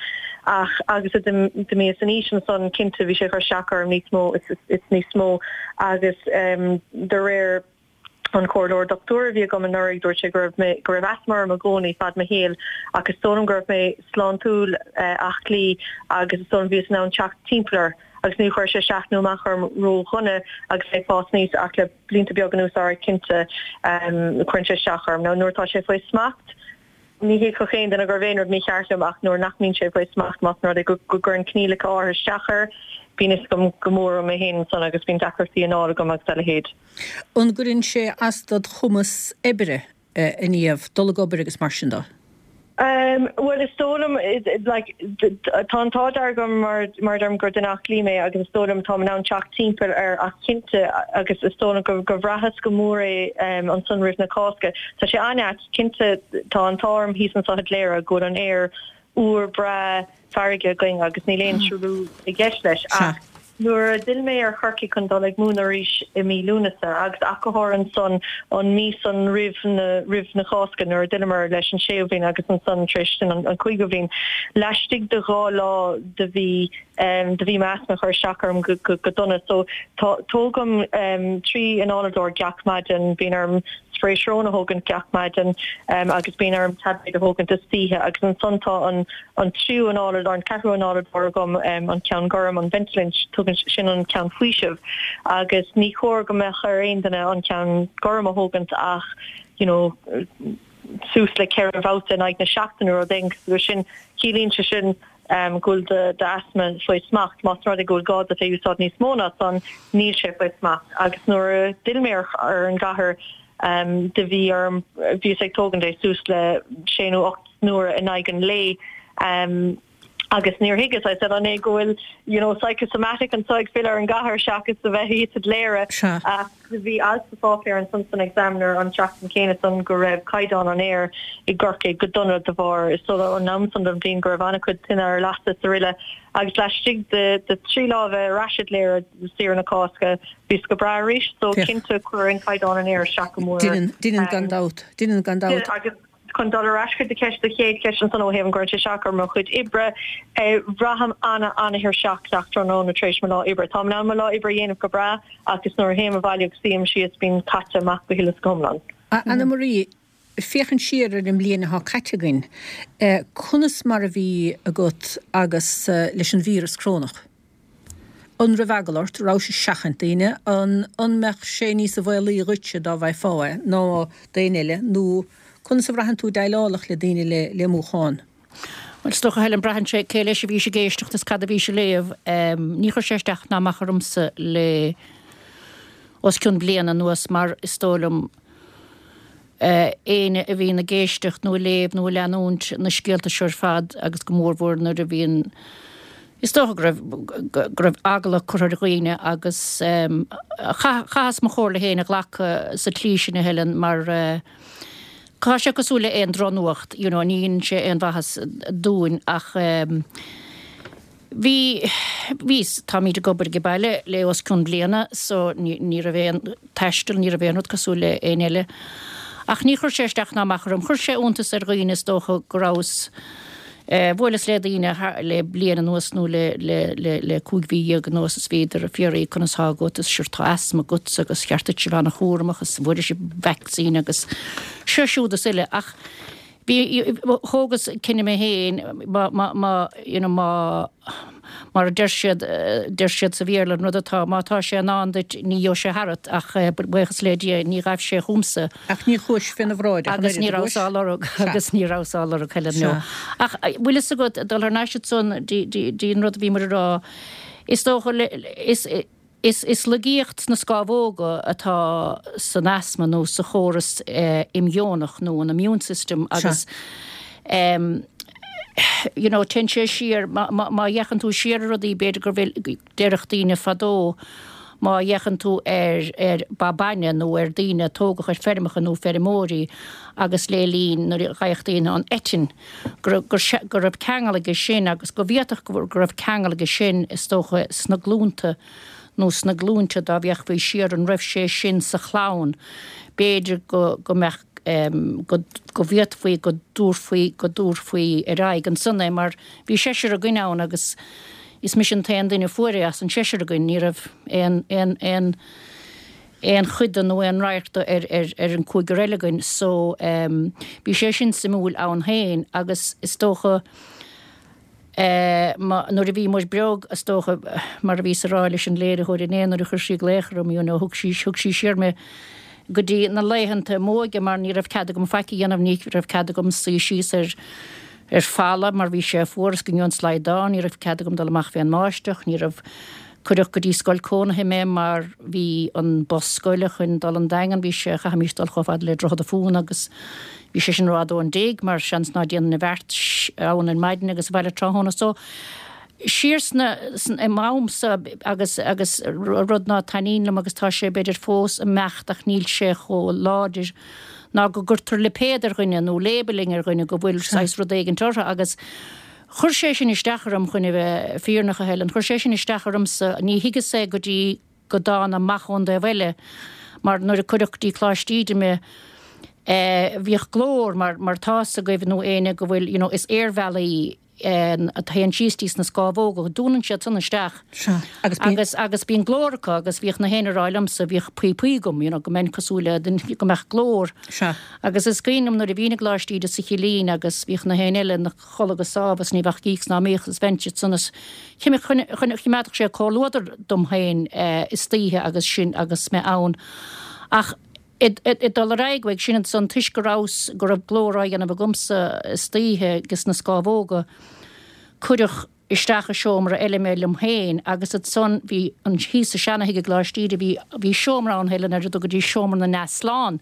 Ach agus a d'imíos in aois ansan, cinnte bhí sé ag cur isteach orm níos mó is níos mó agus de réir an comhairleoir dochtúra a bhí agam anuraidh dúirt sé go raibh mé go raibh asma orm i gcónaí fad mo shaoil ach is dóigh liom go raibh mé sláintiúil aclaí agus is dóigh liom bhíos in ann teacht timpeall air agus níor chuir sé isteach nó amach orm ró-dhona agus mé ag fás aníos ach le blianta beaga anuas áirithe cinnte cuireann sé isteach orm. Now nuair atá sé faoi smacht ní thuigfeadh aon duine go raibh aon rud mícheart liom ach nuair nach mbíonn sé faoi smacht más rud é go gcuireann coinníollacha áirithe isteach air bíonn fhios agam go mór orm mé féin ansan agus bíonn deacrachtaí anála agam agus a leithéid. An gcuireann sé as dod chumas oibre, a Niamh, dul ag obair agus mar sin de? Bhuel, is dóigh liom, like, tá an t-ádh dearg orm mar mar a deirim gur duine aclaí mé agus is dóigh liom táim in ann teacht timpeall air ach cinnte agus is dóigh liom go gur bhraitheas go mór é ansan roimh na Cásca. Tá sé an-ait, cinnte tá an t-ádh orm thíos anso i gCléire go bhfuil an aer úr breá farraige againn agus níl aon truailliú i gceist leis ach nuair a d'fhill mé ar Chorcaigh chun dul ag múineadh arís i mí Lúnasa agus ach go háirithe ansan an mí san roimh na roimh na Cásca nuair a d'fhilleamar leis an séú bhliain agus ansan tar éis sin an cúigiú bhliain laistigh de 2 lá do bhí do bhí m'asma ag cur isteach orm go go go dona so tá tógaim 3 análadóir gach maidin bíonn orm spray srón a thógaint gach maidin agus bíonn orm taibléad a thógaint istoíche agus ansan tá an an tríú análadóir, an ceathrú análadóir agam, an ceann gorm, an Ventolin, tugann sin an ceann faoisimh agus ní chóir go mbeadh ar aon duine an ceann gorm a thógaint ach you know suas le 4 bhabhta in aghaidh na seachtaine nó rud éigin cosúil leis sin. Ciallaíonn sé sin go bhfuil d'asma faoi smacht. Más rud é go bhfuil gá duit é a úsáid níos mó ná san, níl sé faoi smacht. Agus nuair a d'fhill mé ar an gcathair do bhí orm, bhíos ag tógaint é suas le sé nó 8 n-uaire in aghaidh an lae agus níor thuigeas, I said, an é go bhfuil you know psychosomatic anso ag filleadh ar an gcathair seachas a bheith thíos i gCléire. Ach bhí alt sa pháipéar ansan san Examiner an tseachtain chéanna san go raibh caighdeán an aeir i gCorcaigh go dona de bharr is dóigh an am san den bhliain go raibh an-chuid tine ar lasadh is araile agus laistigh de thrí lá a bheith ar ais i gCléire saoire na Cásca bhíos go breá arís so cinnte cuireann caighdeán an aeir isteach go mór Deineann, deineann gan dabht, deineann gan dabht. Agus chun dul ar ais chuig do cheist, do chéad cheist ansan ó thaobh an gcuireann sé isteach ar mo chuid oibre, braithim ana-ana-thuirseach gach tráthnóna tar éis mo lá oibre. Táim in ann mo lá oibre a dhéanamh go breá ach is nuair a théim abhaile agus suím síos bím caite amach go huile is go hiomlán. Anna Marie, féachaint siar ar an mbliain atá caite againn, conas mar a bhí agat agus leis an víreas corónach? An raibh eagla ort? Rabhais ag seachaint daoine? An an mbeadh sé níosa bhaolaí dhuitse dá bhfaighfeá é ná d'éinne eile? Nó conas a bhraitheann tú déileálfadh le daoine le le múchán? Bhuel, is dócha, Helen, braitheann sé cé leis a bhís ag éisteacht is cad a bhís ag léamh. Ní chuir sé isteach ná amach ormsa le os cionn bliana anuas mar is dóigh liom, éinne a bhíonn ag éisteacht nó ag léamh nó ag leanúint na scéalta seo ar fad agus go mórmhór nuair a bhíonn, is dócha go raibh, go raibh eagla curtha ar dhaoine agus chaitheas mo chomhairle féin a ghlacadh sa tslí sin a Helen mar tá sé cosúil le aon drochnuacht, you know, ní dhéanann sé aon mhaitheas dúinn ach. Bhí, bhí, táimid ag obair ag baile le os cionn bliana so ní, ní raibh aon taisteal, ní raibh aon rud cosúil le éinne eile. Ach ní chuir sé isteach ná amach orm. Chuir sé iontas ar dhaoine is dócha go rabhas, eh, bhuaileas le daoine thar, le bliain anuas nó le, le, le, le 15 mhí anuas is bhíodar ag fiafraí conas thá agat is sure tá asma agatsa agus cheart duit a bheith ana-chúramach is an bhfuair sibh vaccine agus seo siúd is uile ach Bhí, thógas cinneadh mé féin, má, má, má, you know, má, mar a deir siad, deir siad sa Bhéarla, an rud atá, má tá sé i ndán duit, ní gheobhaidh sé tharat, ach buíochas le Dia, ní ghaibh sé chugamsa. Ach ní chuais féna bhráid ach an oiread, Agus ní rabhas á lorg, agus ní rabhas á lorg, Helen, no. Ach bhfuil fhios agat, dul thar n-ais ansan dtí an rud a bhí muid a rá, is dócha, is, Is laigeacht sna scámhóga atá san asma nó sa chóras imdhíonach nó an immune system agus you know téann sé siar, má fhéachann tú siar ar rudaí b'fhéidir go bhfuil, déarfadh daoine fadó má fhéachann tú ar ar ba bainne nó ar daoine a tógadh ar feirmeacha nó feirmeoirí agus le linn nuair a gheibheadh daoine an eitinn go go raibh ceangal aige sin agus go bhféadfadh go raibh ceangal aige sin is dócha sna glúnta nó sna glúinte dá bhféachfaí siar an raibh sé sin sa chlann b'fhéidir go go mbeadh go go bhféadfaí go dtabharfaí go dtabharfaí ar aghaidh ansan é mar bhí seisear againn ann agus is mise an t-aon duine a fuair é as an seisear againn ní raibh aon aon aon aon chuid de nó aon radharc de ar ar ar an cúigear eile againn so bhí sé sin suimiúil ann féin agus is dócha eh má nuair a bhí muid beag is dócha mar a bhíos a rá leis an léiritheoir inné nuair a chuir sí glaoch orm you know thug sí thug sí siar mé go dtí na laethanta m'óige mar ní raibh cead agam faic a dhéanamh ní raibh cead agam suí síos ar ar falla mar bhí sé fuar is go ngeobhainn slaghdán ní raibh cead agam dul amach fén mbáisteach ní raibh. Cuireadh go dtí scoil cónaithe mé mar bhí an bus scoile chun dul an Daingean, bhí sé, chaithfimis dul chomh fada le Droichead a' Phúna agus bhí sé sin rófhada ón dtigh mar seans ná déanfainn an bheart ann ar maidin agus abhaile tráthnóna. So, siar sna, i m'amsa agus, agus rud ná taitníonn liom agus tá sé b'fhéidir fós ag imeacht ach níl sé chomh láidir ná go gcuirtear lipéad ar dhuine nó labelling ar dhuine go bhfuil saghas rud éigint orthu agus Chuir sé sin isteach orm, chun a bheith fírinneach, a Helen, chuir sé sin isteach ormsa, ní thuigeas é go dtí go dtána amach ón dtaobh eile, mar nuair a cuireadh go dtí Coláiste Íde mé, eh, bhíodh glór, mar, mar tá's agaibh nó éinne go bhfuil, you know, is aerbhealaí, eh, a théann síos dtí sna scámhóga, dúnann siad san isteach. Sea, agus bíonn. Agus, agus bíonn glór acu agus bhíodh na héinne ag rá liomsa, bhíodh píopaí agam, you know, go mbeinn cosúil le duine, go mbeadh glór. Sea. Agus is cuimhin liom nuair a bhínn i gColáiste Íde sa Chillín agus bhíodh na héinne eile ina. chodladh go sámh is ní bheadh gíocs ná míocs is bheinnse ansan is choimeádfadh sé comhluadar dom féin istoíche agus sin agus mé ann. Ach ag dul ar aghaidh uaidh sin ansan toisc go rabhas, go raibh glór á dhéanamh agamsa istoíche ages na scámhóga, cuireadh isteach i seomra eile mé liom féin agus ansan bhí an, thíos sa seana-thigh i gColáiste Íde bhí, bhí seomra ann Helen ar a dtugaidís seomra na n-easlán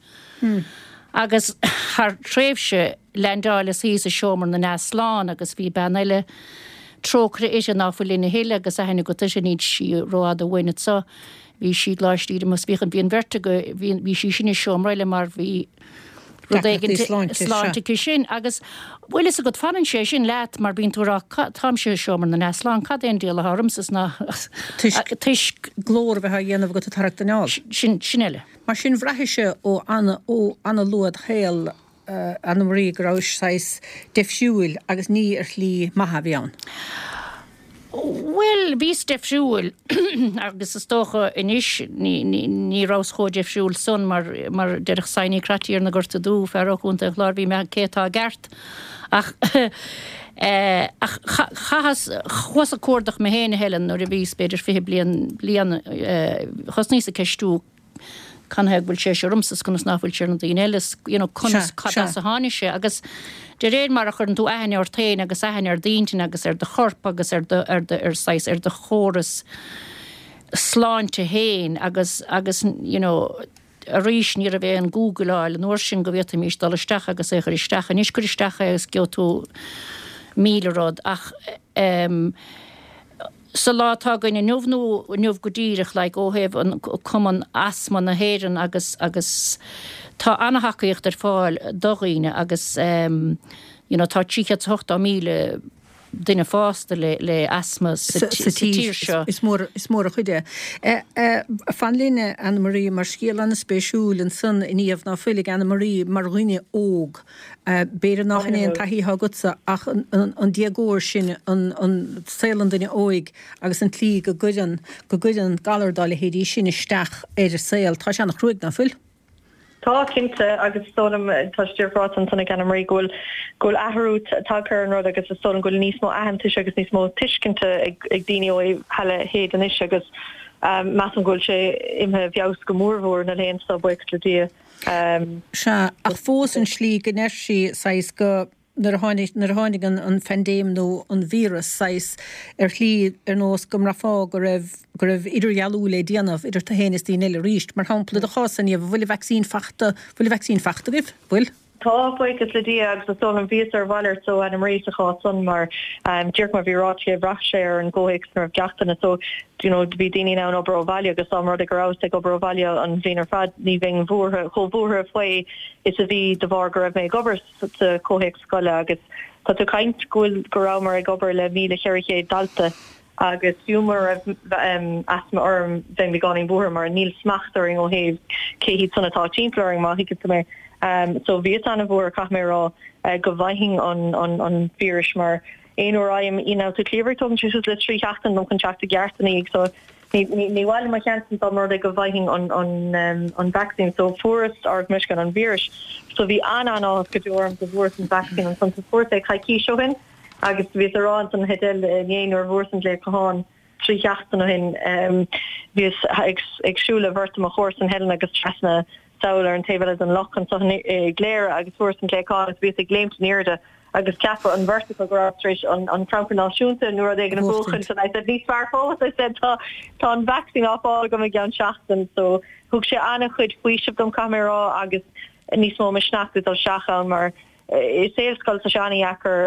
agus thar tréimhse leaindeáileas thíos i seomra na n-easlán agus bhí bean eile, trócaire uirthi, ná fuil linn a thuilleadh agus aithne agat uirthi, níl sí rófhada uainn anso, bhí sí i gColáiste Íde agus bhíodh an, bhí an bheirt agaibh, bhí, bhí sí sin i seomra eile mar bhí rud éigin sláinte aici sin agus bhfuil fhios agat, fanann sé sin leat mar bíonn tú ag rá táimse i seomra na n-easlán, cad é an diabhal atá ormsa is ná toisc, toisc glór a bheith á dhéanamh agat ag tarraingt anáil. Sin, sin eile. Mar sin bhraithis-se ó ana, ó ana-luath id shaol Anna Marie go rabhais saghas deifriúil agus ní ar shlí maith a bhí ann. Bhuel, bhíos deifriúil agus is dócha anois ní rabhas chomh deifriúil san mar mar déarfadh Seánie Crotty ar na Gorta Dubh, fear ó Chontae an Chláir, bhí mé cé atá i gceart ach ach chaitheas, chuas ag cuardach mé féin a Helen nuair a bhíos b'fhéidir 20 bliain bliain thosnaíos ag ceistiú canathaobh go bhfuil sé seo ormsa is conas ná fuil sé ar na daoine eile is you know conas cad as a tháinig sé agus de réir mar a chuireann tú aithne ort féin agus aithne ar d'intinn agus ar do chorp agus ar do ar do ar saghas ar do chóras sláinte féin agus agus you know arís ní raibh aon Googleáil an uair sin go bhféadfaimis dul isteach agus é a chur isteach. Anois cuir isteach é agus gheobhaidh tú 1000 rud ach ehm Sa lá atá againn inniu nó inniu go díreach like ó thaobh an Cumann Asma na hÉireann agus agus tá an-tacaíocht ar fáil do dhaoine agus ehm you know tá 380,000 duine fásta le le asma sa sa tír seo. Is mór is mór an chuid é. Fan linn Anna Marie mar scéal an-spéisiúil ansan a Niamh ná fuil ag Anna Marie mar dhuine óg. B'fhéidir nach in é an taithí atá agatsa ach an déagóir sin, an saol an duine óig agus an tslí go gcuireann, go gcuireann galar dá leithéidí sin isteach ar a saol, tá sé an-chruaidh, ná fuil? Tá, cinnte, agus is dóigh liom, tá sé díreach ráite ansan ag Anna Marie go bhfuil, go bhfuil athrú tagtha ar an rud agus is dóigh liom go bhfuil níos mó aitheantais agus níos mó tuiscinte ag daoine ó thaobh a leithéid anois agus measaim go bhfuil sé imithe i bhfeabhas go mórmhór na laethanta seo, buíochas le Dia. Sea, ach fós an slí go ndeir sí, saghas, go, nuair a tháinig, nuair a tháinig an, an phaindéim nó an víreas, saghas, ar shlí ar nós go mbraithfeá go raibh, go raibh idirdhealú le déanamh idir tú féin is daoine eile arís. Mar shampla, i do chás-sa, Niamh, an bhfuil an vacsaín fachta, bhfuil an vacsaín fachta agaibh? Bhfuil? Tá, buíochas le Dia, agus is dóigh liom, bhíos ar a mhalairt ó Anna Marie sa chás san mar, díreach mar bhí ráite aici, bhraith sé ar an gcomhthéacs ina raibh gach duine so, you know, bhí daoine in ann obair ó bhaile agus dá mba rud é go rabhas ag obair ó bhaile an bhliain ar fad ní bheinn buartha, chomh buartha faoi is a bhí de bharr go raibh mé ag obair sa chomhthéacs scoile agus tá tú ag caint go bhfuil, go rabhamar ag obair le 1,400 dalta agus fiú mura raibh asma orm bheinn beagáinín buartha mar níl smacht orainn ó thaobh cé hiad san atá timpeall orainn má thuigeann tú mé. So bhíos an-bhuartha caithfidh mé a rá go bhfaighinn an an an víreas mar aon uair a fhaighim ionfhabhtú cliabhraigh tógann sé suas le 3 sheachtain dom chun teacht i gceart ina dhiaidh so ní ní ní mhaith liom mo sheans dá mba rud é go bhfaighinn an an an vaccine so fuaireas ár meisceán an víris so bhí an-an-áthas go deo orm go bhfuaireas an vaccine ansan so fuaireas é coicís ó shin. Agus bhíos ag rá ansan Edel inné nuair a bhfuaireas an glao gutháin trí sheachtain ó shin, bhíos ag siúl le beirt de mo chomharsan Helen agus trasna sall ar an taobh eile den loch anso i gCléire agus fuaireas an glao agus bhíos ag léimt in airde. agus ceapadh an bheirt acu go rabhas tar éis an an Crannchur Náisiúnta nó rud éigin a bhuachaint and I said níos fearr fós I said tá tá an vaccine á fáil agam i gceann seachtain so thug sé an-chuid faoisimh dom caithfidh mé a rá agus níos mó misneach dul isteach ann mar i saol scoile tá sé an-dheacair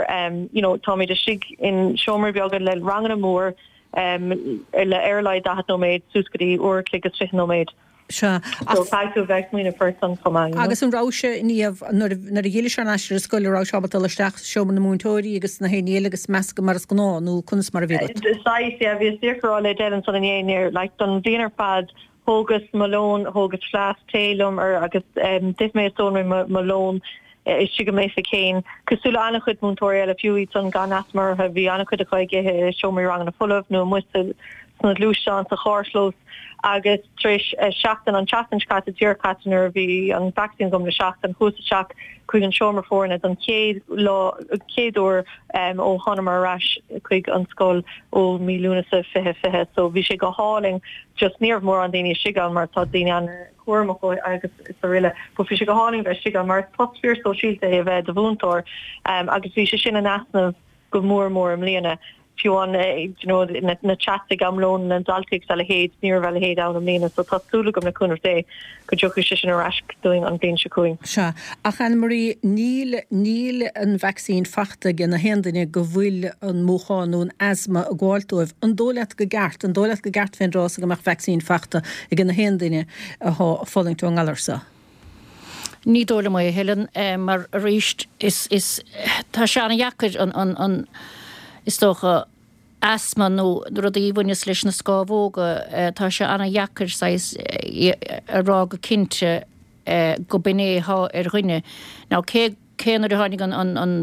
you know táimid istigh in seomraí beaga le ranganna mór le ar a laghad 40 nóiméad suas go dtí uair a chloig is 20 nóiméad. Sea. So caithfidh tú a bheith ag smaoineamh ort san chomh maith, you know. Agus an raibh sé, Niamh, nuair a nuair a dh'fhillis thar n-ais ar an scoil, an raibh sé ábalta dul isteach sa seomra na múinteoirí agus na héinne eile agus meascadh mar is gnáth nó conas mar a bhí agat? Saghas, yeah, bhíos díreach ag rá le Edel ansan inné, like don bhliain ar fad Thógas mo lón, thógas fleasc tae liom ar agus d'ith mé is d'ól mé mo lón istigh i m'oifig féin. Cosúil le an-chuid múinteoirí eile, fiú iad san gan asma orthu, bhí an-chuid acu ag ithe i seomraí ranganna folamh nó amuigh sna gluaisteáin sa charrchlós agus tar éis seachtain, an tseachtain seo caite, díreach caite nuair a bhí an vacsaín agam le seachtain, chuas isteach chuig an seomra foirne don chéad lá, chéad uair ó thánamar ar ais chuig an scoil ó mí Lúnasa 2020 so bhí sé go hálainn just ní raibh mórán daoine istigh ann mar tá daoine an-chúramach agus araile but bhí sé go hálainn bheith istigh ann mar is post fíor sóisialta é a bheith i do mhúinteoir agus bhí sé sin in easnamh go mór mór i mbliana. Fiú an you know na chats ag am lóin na ndaltaí agus a leithéid ní raibh a leithéid ann i mbliana so tá súil agam le cúnamh Dé go dtiocfaidh sé sin ar ais dúinn an bhliain seo chugainn. Sea, ach Annemarie, níl, níl an vacsaín fachta ag na haon duine go bhfuil an múchán nó an asma ag gabháilt dóibh. An dóigh leat go gceart, an dóigh leat go gceart fén dtráth so go mbeadh vacsaín fachta ag na haon duine athá ag fulaingt ón ngalar so? Ní dóigh liom é, a Helen, mar arís, is, is, tá sé an-dheacair an, an, an, is dócha, asma nó rudaí a bhaineas leis na scámhóga, tá sé an-dheacair saghas a rá go cinnte go b'in é atá ar dhuine. Now cé, cé nuair a tháinig an, an, an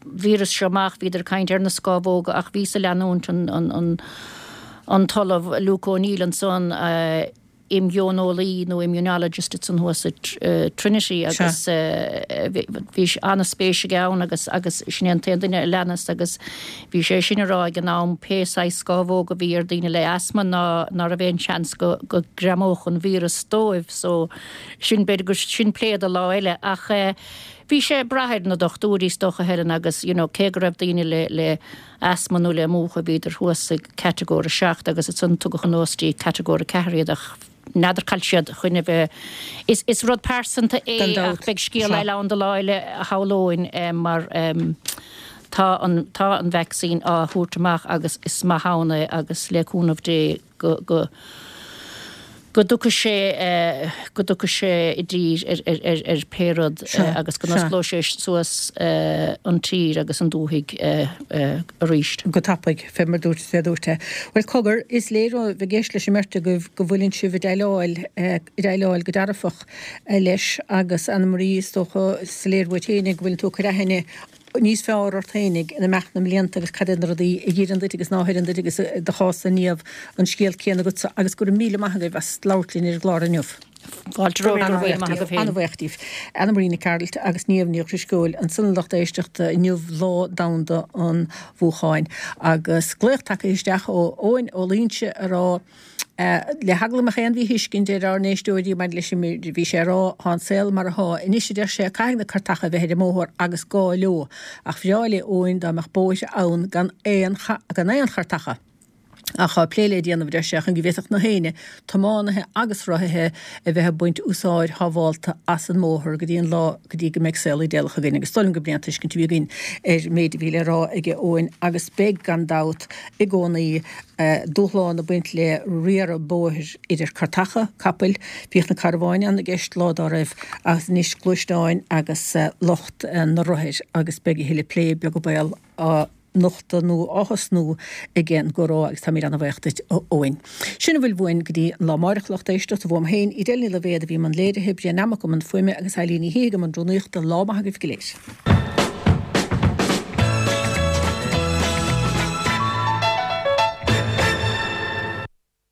víreas seo amach bhíodar ag caint ar na scámhóga ach bhíos ag leanúint an, an, an, an tOllamh Luke O'Neill ansan, imdhíoneolaí nó immunologist ansan thuas i Trinity agus bhí an-spéis aige ann agus agus sin é an t-aon duine a leanas agus bhí sé sin a rá ag an am pé saghas scámhóg a bhí ar daoine le asma ná ná raibh aon seans go go greamódh an víreas dóibh so sin b'fhéidir go sin plé do lá eile ach bhí sé ag brath ar na dochtúirí is dócha Helen agus you know cé go raibh daoine le le asma nó le múchadh bhíodar thuas ag catagóir 7 agus ansan tugadh anuas dtí catagóir 4 iad ach n'fheadar cá bhfuil siad chun a bheith. Is is rud pearsanta é Gan ach dabht. beidh scéal Sea. eile ann do lá eile a shamhlóinn mar tá an tá an vacsaín á thabhairt amach agus is maith ann é agus le cúnamh Dé go go go dtiocfaidh sé go dtiocfaidh sé i dtír ar ar ar ar pé rud Sea, agus go sea. n-osclóidh sé suas an tír agus an dúthaigh arís. Go tapaidh, fé mar dúirt fé dúirt é. Bhuel, cogar, is léir ó bheith ag éisteacht leis an mbeirt agaibh go bhfuileann sibh ag déileáil ag déileáil go dearfach leis agus Annemarie, is dócha, is léir uait féinig go bhfuileann tú ag cur aithne níos fearr ort féinig in imeacht na mblianta agus cad iad na rudaí a dh'oireann duit agus ná hoireann duit agus i do chás-sa Niamh an scéal céanna agatsa agus go raibh míle maith agaibh as labhairt linn ar an gclár inniu. Fáilte romhat, go raibh míle maith agaibh féin. An-bhuíoch díbh. Annemarie Nic Gearailt agus Niamh Ní Dhrisceoil ansan a lucht éisteachta inniu Lá Domhanda an Mhúcháin agus glaoch tagtha isteach ó Eoin Ó Loingsigh a rá Le heagla go mbeadh aon mhíthuiscint ar ár n-éisteoirí maidir leis an méid a bhí sé a rá, tá an saol mar athá anois, a deir sé, caithfidh na cairteacha a bheith ar an mbóthar agus gá leo. Ach bhreá le Eoin dá mbeadh bóithre ann gan aon gan aon chairteacha. Ach tá plé le déanamh, a deir sé, chun go bhféadfadh na héinne, tiománaithe agus rothaithe, a bheith ag baint úsáid shábhálta as an mbóthar go dtí an lá go dtí go mbeidh saol idéalach againn. Agus is dóigh liom gurb é an tuiscint a bhí againn ar an méid a bhí le rá aige Eoin agus beidh, gan dabht, i gcónaí. Dúshlán ag baint le riaradh bóthair idir cairteacha, capaill, bhíodh na carbháin ann i gceist lá dá raibh agus anois gluaisteáin agus lucht na rothair agus beidh a thuilleadh plé beag an baol á nochtadh nó á thosnú ag an gcomhrá agus táimid ana-bhaoch duit a Eoin. Sin a bhfuil uainn go dtí an lá amáireach lucht éisteachta uaim féin, Edel Ní Loibhéad a bhí i mbun léirithe, Brian Nammock i mbun fuaime agus Eilín Ní Shíthigh i mbun rúnaíochta. Lá maith agaibh go léir.